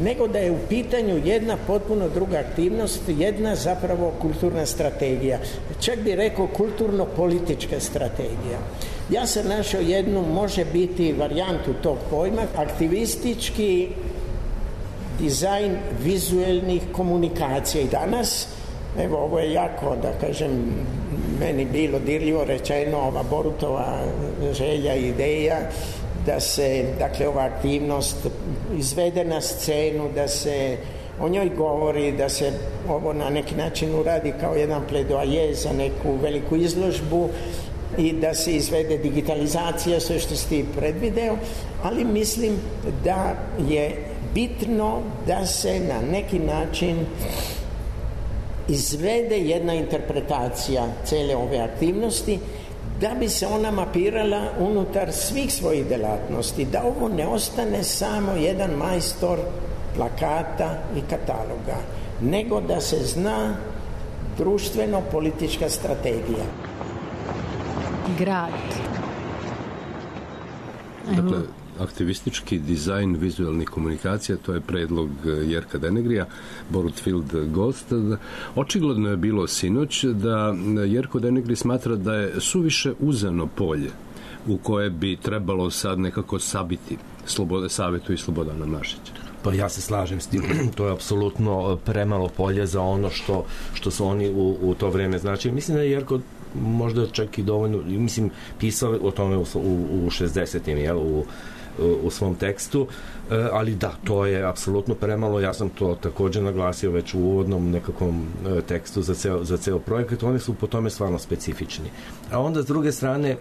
Nego da je u pitanju jedna potpuno druga aktivnost, jedna zapravo kulturna strategija. Čak bi rekao kulturno-politička strategija. Ja sam našao jednu, može biti varijantu tog pojma, aktivistički dizajn vizuelnih komunikacija. I danas, evo, ovo je jako, da kažem, meni bilo dirljivo rečeno, ova Borutova želja i ideja da se, dakle, ova aktivnost izvede na scenu, da se o njoj govori, da se ovo na neki način uradi kao jedan pledoaje za neku veliku izložbu i da se izvede digitalizacija, sve što si ti predvideo, ali mislim da je bitno da se na neki način izvede jedna interpretacija cele ove aktivnosti, da bi se ona mapirala unutar svih svojih delatnosti, da ovo ne ostane samo jedan majstor plakata i kataloga, nego da se zna društveno-politička strategija. Grad. Dakle, aktivistički dizajn vizualnih komunikacija, to je predlog Jerka Denegrija, Borut Field gost. Očigledno je bilo sinoć da Jerko Denegri smatra da je suviše uzano polje u koje bi trebalo sad nekako sabiti Slobode, Savetu i Slobodana Mašića. Pa ja se slažem s tim, to je apsolutno premalo polje za ono što, što su oni u, u to vreme značili. Mislim da je Jerko možda čak i dovoljno, mislim, pisao o tome u, u, u šezdesetim, jel, u, u svom tekstu, ali da, to je apsolutno premalo. Ja sam to također naglasio već u uvodnom nekakvom tekstu za ceo, za ceo projekat. Oni su po tome stvarno specifični. A onda s druge strane,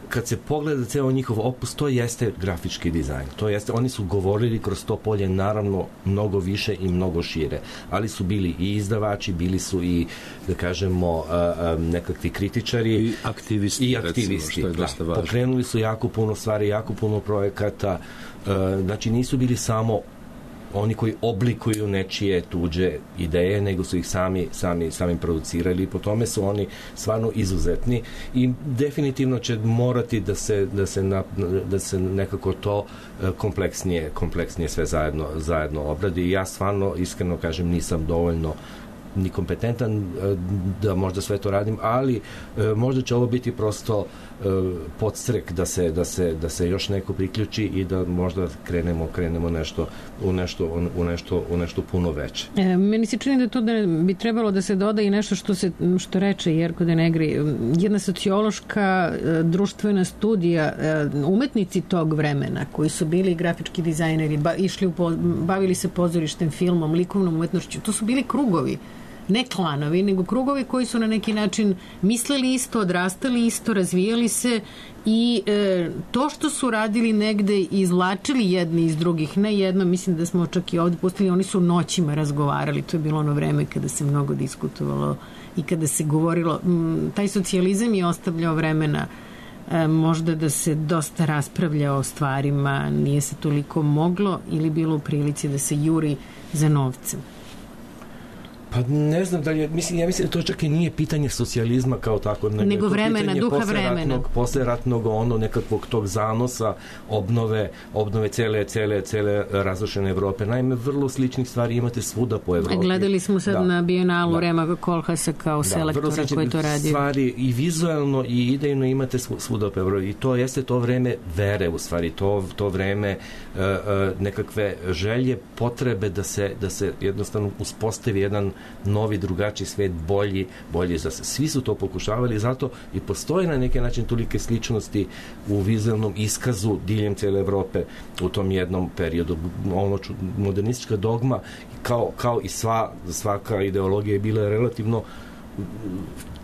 kad se pogleda ceo njihov opus, to jeste grafički dizajn. To jeste, oni su govorili kroz to polje naravno mnogo više i mnogo šire, ali su bili i izdavači, bili su i, da kažemo, nekakvi kritičari i aktivisti, i aktivisti recimo, što je dosta važno. Pokrenuli su jako puno stvari, jako puno projekata, znači nisu bili samo oni koji oblikuju nečije tuđe ideje, nego su ih sami, sami, sami producirali i po tome su oni stvarno izuzetni i definitivno će morati da se, da se, na, da se nekako to kompleksnije, kompleksnije sve zajedno, zajedno obradi. I ja stvarno, iskreno kažem, nisam dovoljno ni kompetentan da možda sve to radim, ali možda će ovo biti prosto podstrek da se, da se, da se još neko priključi i da možda krenemo, krenemo nešto, u, nešto, u, nešto, u nešto puno veće. E, meni se čini da to da bi trebalo da se doda i nešto što, se, što reče Jerko Denegri, jedna sociološka društvena studija, umetnici tog vremena koji su bili grafički dizajneri, ba, išli u, bavili se pozorištem, filmom, likovnom umetnošću, to su bili krugovi, ne klanovi, nego krugovi koji su na neki način mislili isto, odrastali isto, razvijali se i e, to što su radili negde izvlačili jedni iz drugih, ne jedno, mislim da smo čak i ovdje pustili, oni su noćima razgovarali, to je bilo ono vreme kada se mnogo diskutovalo i kada se govorilo, m, taj socijalizam je ostavljao vremena e, možda da se dosta raspravlja o stvarima, nije se toliko moglo ili bilo u prilici da se juri za novcem. Pa ne znam da li je, mislim, ja mislim da to čak i nije pitanje socijalizma kao tako, nego, nego vremena, duha vremena. Posleratnog ono nekakvog tog zanosa, obnove, obnove cele, cele, cele razrušene Evrope. Naime, vrlo sličnih stvari imate svuda po Evropi. Gledali smo sad da. na Bienalu da. Rema Koolhaasa kao da, selektora koji to radio. Stvari i vizualno i idejno imate svuda po Evropi. I to jeste to vreme vere u stvari, to, to vreme uh, uh, nekakve želje, potrebe da se, da se jednostavno uspostavi jedan novi, drugačiji svet, bolji, bolji za se. Svi su to pokušavali, zato i postoji na neki način tolike sličnosti u vizualnom iskazu diljem cele Evrope u tom jednom periodu. Ono modernistička dogma kao, kao i sva, svaka ideologija je bila relativno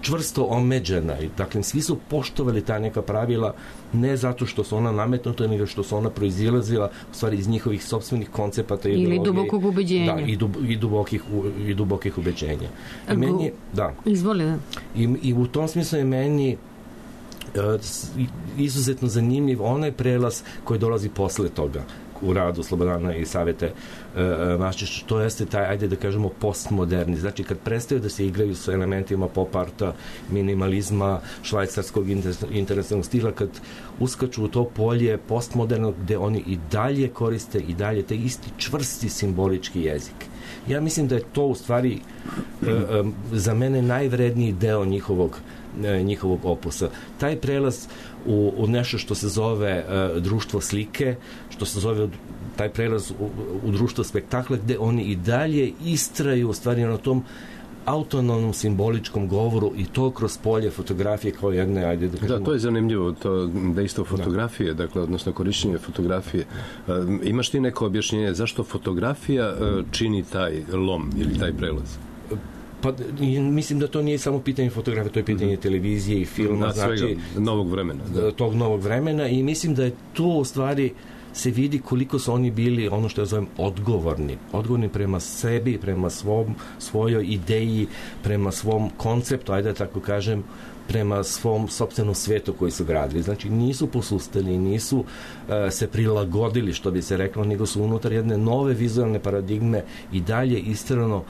čvrsto omeđena i dakle svi su poštovali ta neka pravila ne zato što su ona nametnuta nego što su ona proizilazila u stvari iz njihovih sopstvenih koncepata ili dubokog ubeđenja da, i, dub, i, dubokih, i dubokih ubeđenja i meni, da. Izvoli da. I, i u tom smislu je meni izuzetno zanimljiv onaj prelaz koji dolazi posle toga u radu Slobodana i Savete uh, Maščića, to jeste taj, ajde da kažemo, postmoderni. Znači, kad prestaju da se igraju sa elementima pop arta, minimalizma, švajcarskog internacionalnog stila, kad uskaču u to polje postmodernog, gde oni i dalje koriste i dalje taj isti čvrsti simbolički jezik. Ja mislim da je to u stvari uh, um, za mene najvredniji deo njihovog njihovog opusa. Taj prelaz u, u nešto što se zove uh, društvo slike, što se zove taj prelaz u, u društvo spektakla, gde oni i dalje istraju u stvari na tom autonomnom simboličkom govoru i to kroz polje fotografije kao jedne, ajde da kažemo. Da, to je zanimljivo, to dejstvo fotografije, da. Dakle, odnosno korišćenje fotografije. Uh, imaš ti neko objašnjenje zašto fotografija uh, čini taj lom ili taj prelaz? Pa mislim da to nije samo pitanje fotografije, to je pitanje mm-hmm. televizije i filma, da, znači svega, novog vremena. Da. Tog novog vremena i mislim da je to u stvari se vidi koliko su oni bili, ono što ja zovem, odgovorni. Odgovorni prema sebi, prema svom, svojoj ideji, prema svom konceptu, ajde da tako kažem, prema svom sopstvenom svetu koji su gradili. Znači, nisu posustali, nisu uh, se prilagodili, što bi se reklo, nego su unutar jedne nove vizualne paradigme i dalje istrano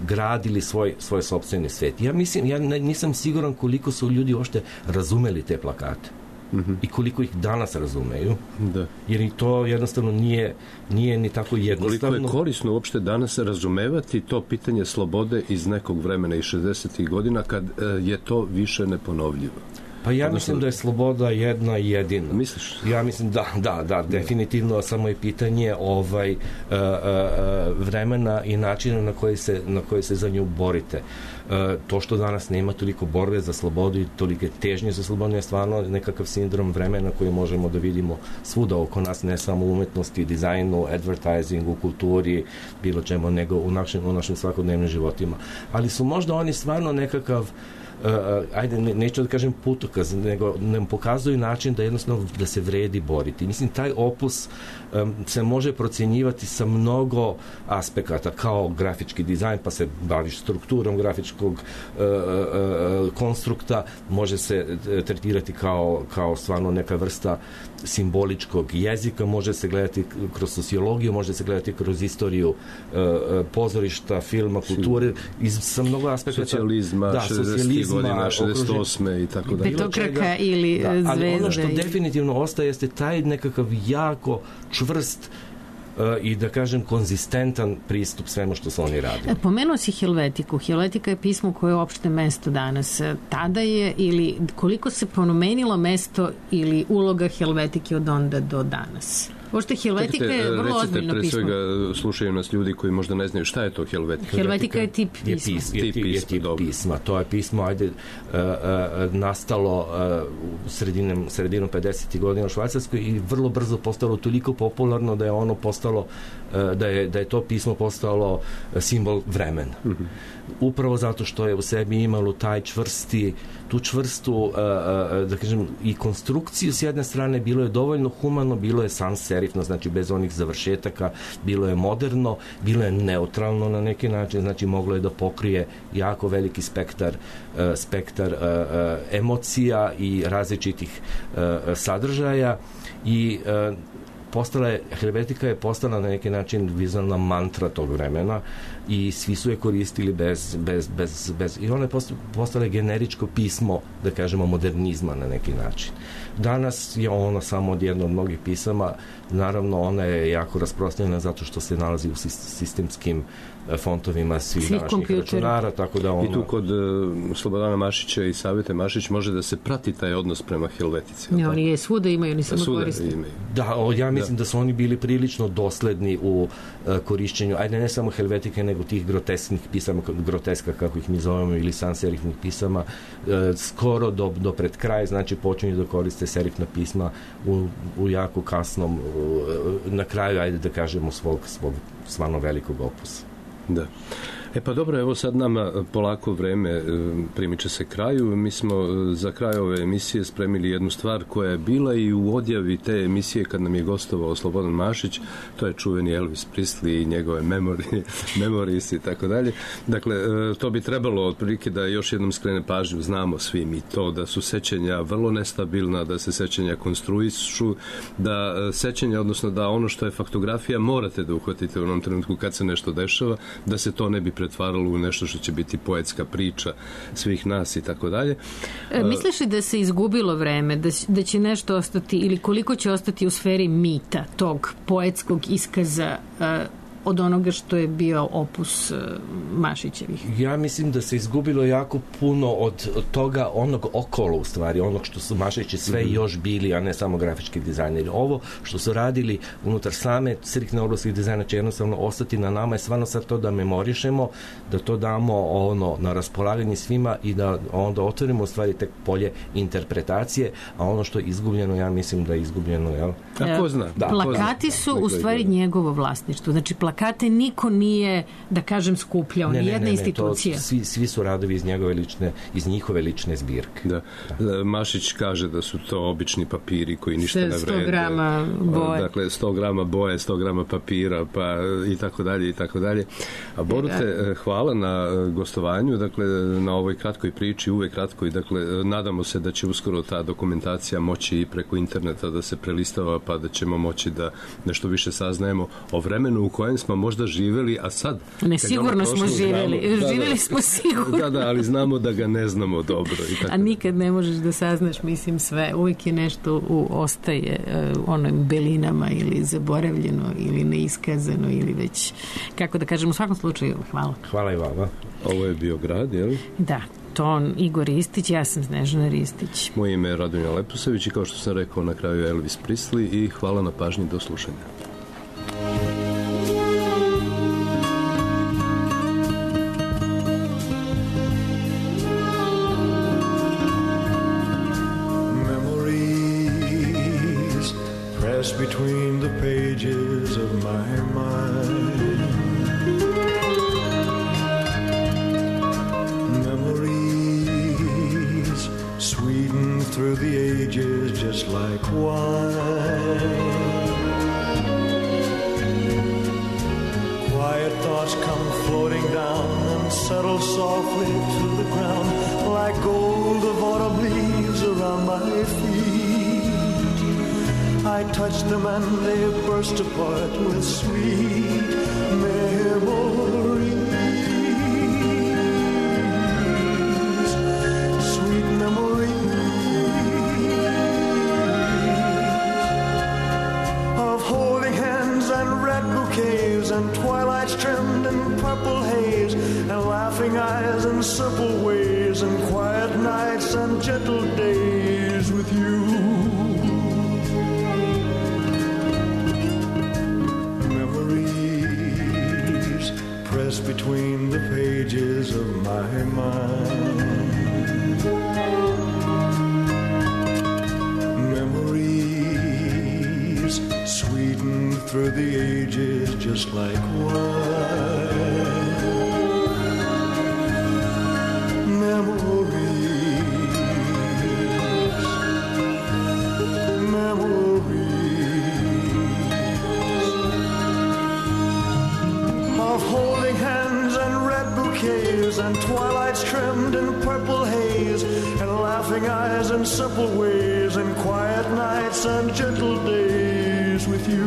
gradili svoj, svoj sopstveni svet. Ja mislim, ja nisam siguran koliko su ljudi uopšte razumeli te plakate. Mm-hmm. I koliko ih danas razumeju. Da. Jer i to jednostavno nije, nije ni tako jednostavno. Koliko je korisno uopšte danas razumevati to pitanje slobode iz nekog vremena iz šezdesetih godina kad je to više neponovljivo? Pa ja mislim da je sloboda jedna i jedina. Misliš? Ja mislim da, da, da, definitivno, samo je pitanje ovaj, uh, uh, vremena i načina na koji se, na koji se za nju borite. Uh, to što danas nema toliko borbe za slobodu i tolike težnje za slobodu je stvarno nekakav sindrom vremena koji možemo da vidimo svuda oko nas, ne samo u umetnosti, dizajnu, advertisingu, kulturi, bilo čemu, nego u našim, u našim svakodnevnim životima. Ali su možda oni stvarno nekakav Uh, ajde, ne, neću da kažem putokaz, nego nam pokazuju način da jednostavno da se vredi boriti. Mislim, taj opus um, se može procenjivati sa mnogo aspekata, kao grafički dizajn, pa se baviš strukturom grafičkog uh, uh, konstrukta, može se tretirati kao, kao stvarno neka vrsta simboličkog jezika, može se gledati kroz sociologiju, može se gledati kroz istoriju uh, pozorišta, filma, kulture, iz, sa mnogo aspekata. Socijalizma, da, socijalizma, godina, šezdeset osme i tako da. Petokraka ili da, Zvezda. Ali ono što definitivno ostaje jeste taj nekakav jako čvrst uh, i da kažem konzistentan pristup svemu što su oni radili. Pomenuo si Helvetiku. Helvetika je pismo koje je uopšte mesto danas. Tada je ili koliko se promenilo mesto ili uloga Helvetike od onda do danas? Pošto Helvetika je vrlo ozbiljno pre pismo. Svega slušaju nas ljudi koji možda ne znaju šta je to Helvetika. Helvetika je tip pisma. Je, pis, je, tip je, je tip pisma. To je pismo, ajde, uh, uh, nastalo uh, u sredinom, sredinom pedesetih godina u Švajcarskoj i vrlo brzo postalo toliko popularno da je ono postalo, uh, da, je, da je to pismo postalo simbol vremena. Mm-hmm. Upravo zato što je u sebi imalo taj čvrsti, tu čvrstu, uh, uh, da kažem, i konstrukciju s jedne strane, bilo je dovoljno humano, bilo je sans serifno, znači bez onih završetaka, bilo je moderno, bilo je neutralno na neki način, znači moglo je da pokrije jako veliki spektar, uh, spektar uh, uh, emocija i različitih uh, sadržaja i uh, postala je, Helvetika je postala na neki način vizualna mantra tog vremena i svi su je koristili bez, bez, bez, bez i ona je postala generičko pismo, da kažemo, modernizma na neki način. Danas je ona samo od jedno od mnogih pisama, naravno ona je jako rasprostranjena zato što se nalazi u sistemskim fontovima svih današnjih računara, tako da ono... I tu kod uh, Slobodana Mašića i Savete Mašić može da se prati taj odnos prema Helvetici. Ne, oni je svuda imaju, oni samo koriste. Da, o, ja mislim da. da su oni bili prilično dosledni u uh, korišćenju, ajde ne samo Helvetike, nego tih grotesknih pisama, groteska, kako ih mi zovemo, ili sanserifnih pisama, uh, skoro do, do pred kraj, znači počinju da koriste serifna pisma u, u jako kasnom, uh, na kraju, ajde da kažemo, svog, svog stvarno velikog opusa. Da. E pa dobro, evo sad nama polako vreme primiče se kraju. Mi smo za kraj ove emisije spremili jednu stvar koja je bila i u odjavi te emisije kad nam je gostovao Slobodan Mašić, to je čuveni Elvis Presley i njegove memorije, memories i tako dalje. Dakle, to bi trebalo otprilike da još jednom skrene pažnju, znamo svi mi to, da su sećanja vrlo nestabilna, da se sećanja konstruišu, da sećanja, odnosno da ono što je faktografija morate da uhvatite u onom trenutku kad se nešto dešava, da se to ne bi pretvaralo u nešto što će biti poetska priča svih nas i tako dalje. Misliš li da se izgubilo vreme, da, da će nešto ostati ili koliko će ostati u sferi mita, tog poetskog iskaza uh, od onoga što je bio opus uh, Mašićevih? Ja mislim da se izgubilo jako puno od, od toga, onog okolo u stvari, onog što su Mašići sve mm-hmm. još bili, a ne samo grafički dizajneri. Ovo što su radili unutar same striktne oblasti dizajna će jednostavno ostati na nama, je stvarno sad to da memorišemo, da to damo ono na raspolaganje svima i da onda otvorimo u stvari tek polje interpretacije, a ono što je izgubljeno, ja mislim da je izgubljeno, jel? A ko zna? Da, plakati ko zna. Su u stvari njegovo vlasništvo. Znači, plakate niko nije, da kažem, skupljao, ni jedna institucija. To, svi, svi su radovi iz njegove lične, iz njihove lične zbirke. Da. Da. Mašić kaže da su to obični papiri koji ništa ne vrede. sto grama boje. Dakle, sto grama boje, sto grama papira, pa i tako dalje, i tako dalje. A Borute, hvala na gostovanju, dakle, na ovoj kratkoj priči, uvek kratkoj, dakle, nadamo se da će uskoro ta dokumentacija moći i preko interneta da se prelistava, pa da ćemo moći da nešto više saznajemo o vremenu u kojem smo možda živeli, a sad... Ne, sigurno smo živeli. Znamo, da, živeli da, smo sigurno. Da, da, ali znamo da ga ne znamo dobro. I tako a nikad ne možeš da saznaš, mislim, sve. Uvijek je nešto u, ostaje uh, onim belinama ili zaboravljeno ili neiskazano ili već, kako da kažem, u svakom slučaju, hvala. Hvala i vama. Ovo je bio grad, je li? Da. Ton Igor Ristić, ja sam Snežana Ristić. Moje ime je Radonja Leposavić i kao što sam rekao na kraju Elvis Presley i hvala na pažnji, do slušanja. Between the pages of my mind, memories sweetened through the ages just like wine. Quiet thoughts come floating down and settle softly to the ground like gold of autumn leaves around my feet. I touch them and they burst apart with sweet memories. Sweet memories of holding hands and red bouquets and twilights trimmed in purple haze and laughing eyes and simple ways and quiet nights and gentle days with you. Between the pages of my mind, memories sweetened through the ages just like wine. Memories, memories of holding hands and red bouquets and twilights trimmed in purple haze and laughing eyes and simple ways and quiet nights and gentle days years with you.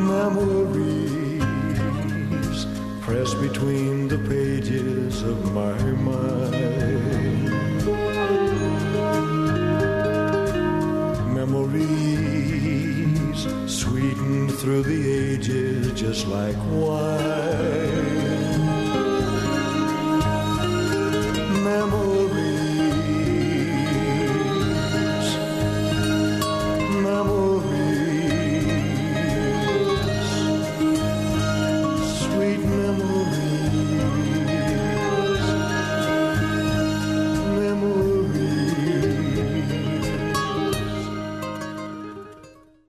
Memories press between the pages of my mind. Memories sweetened through the ages just like wine.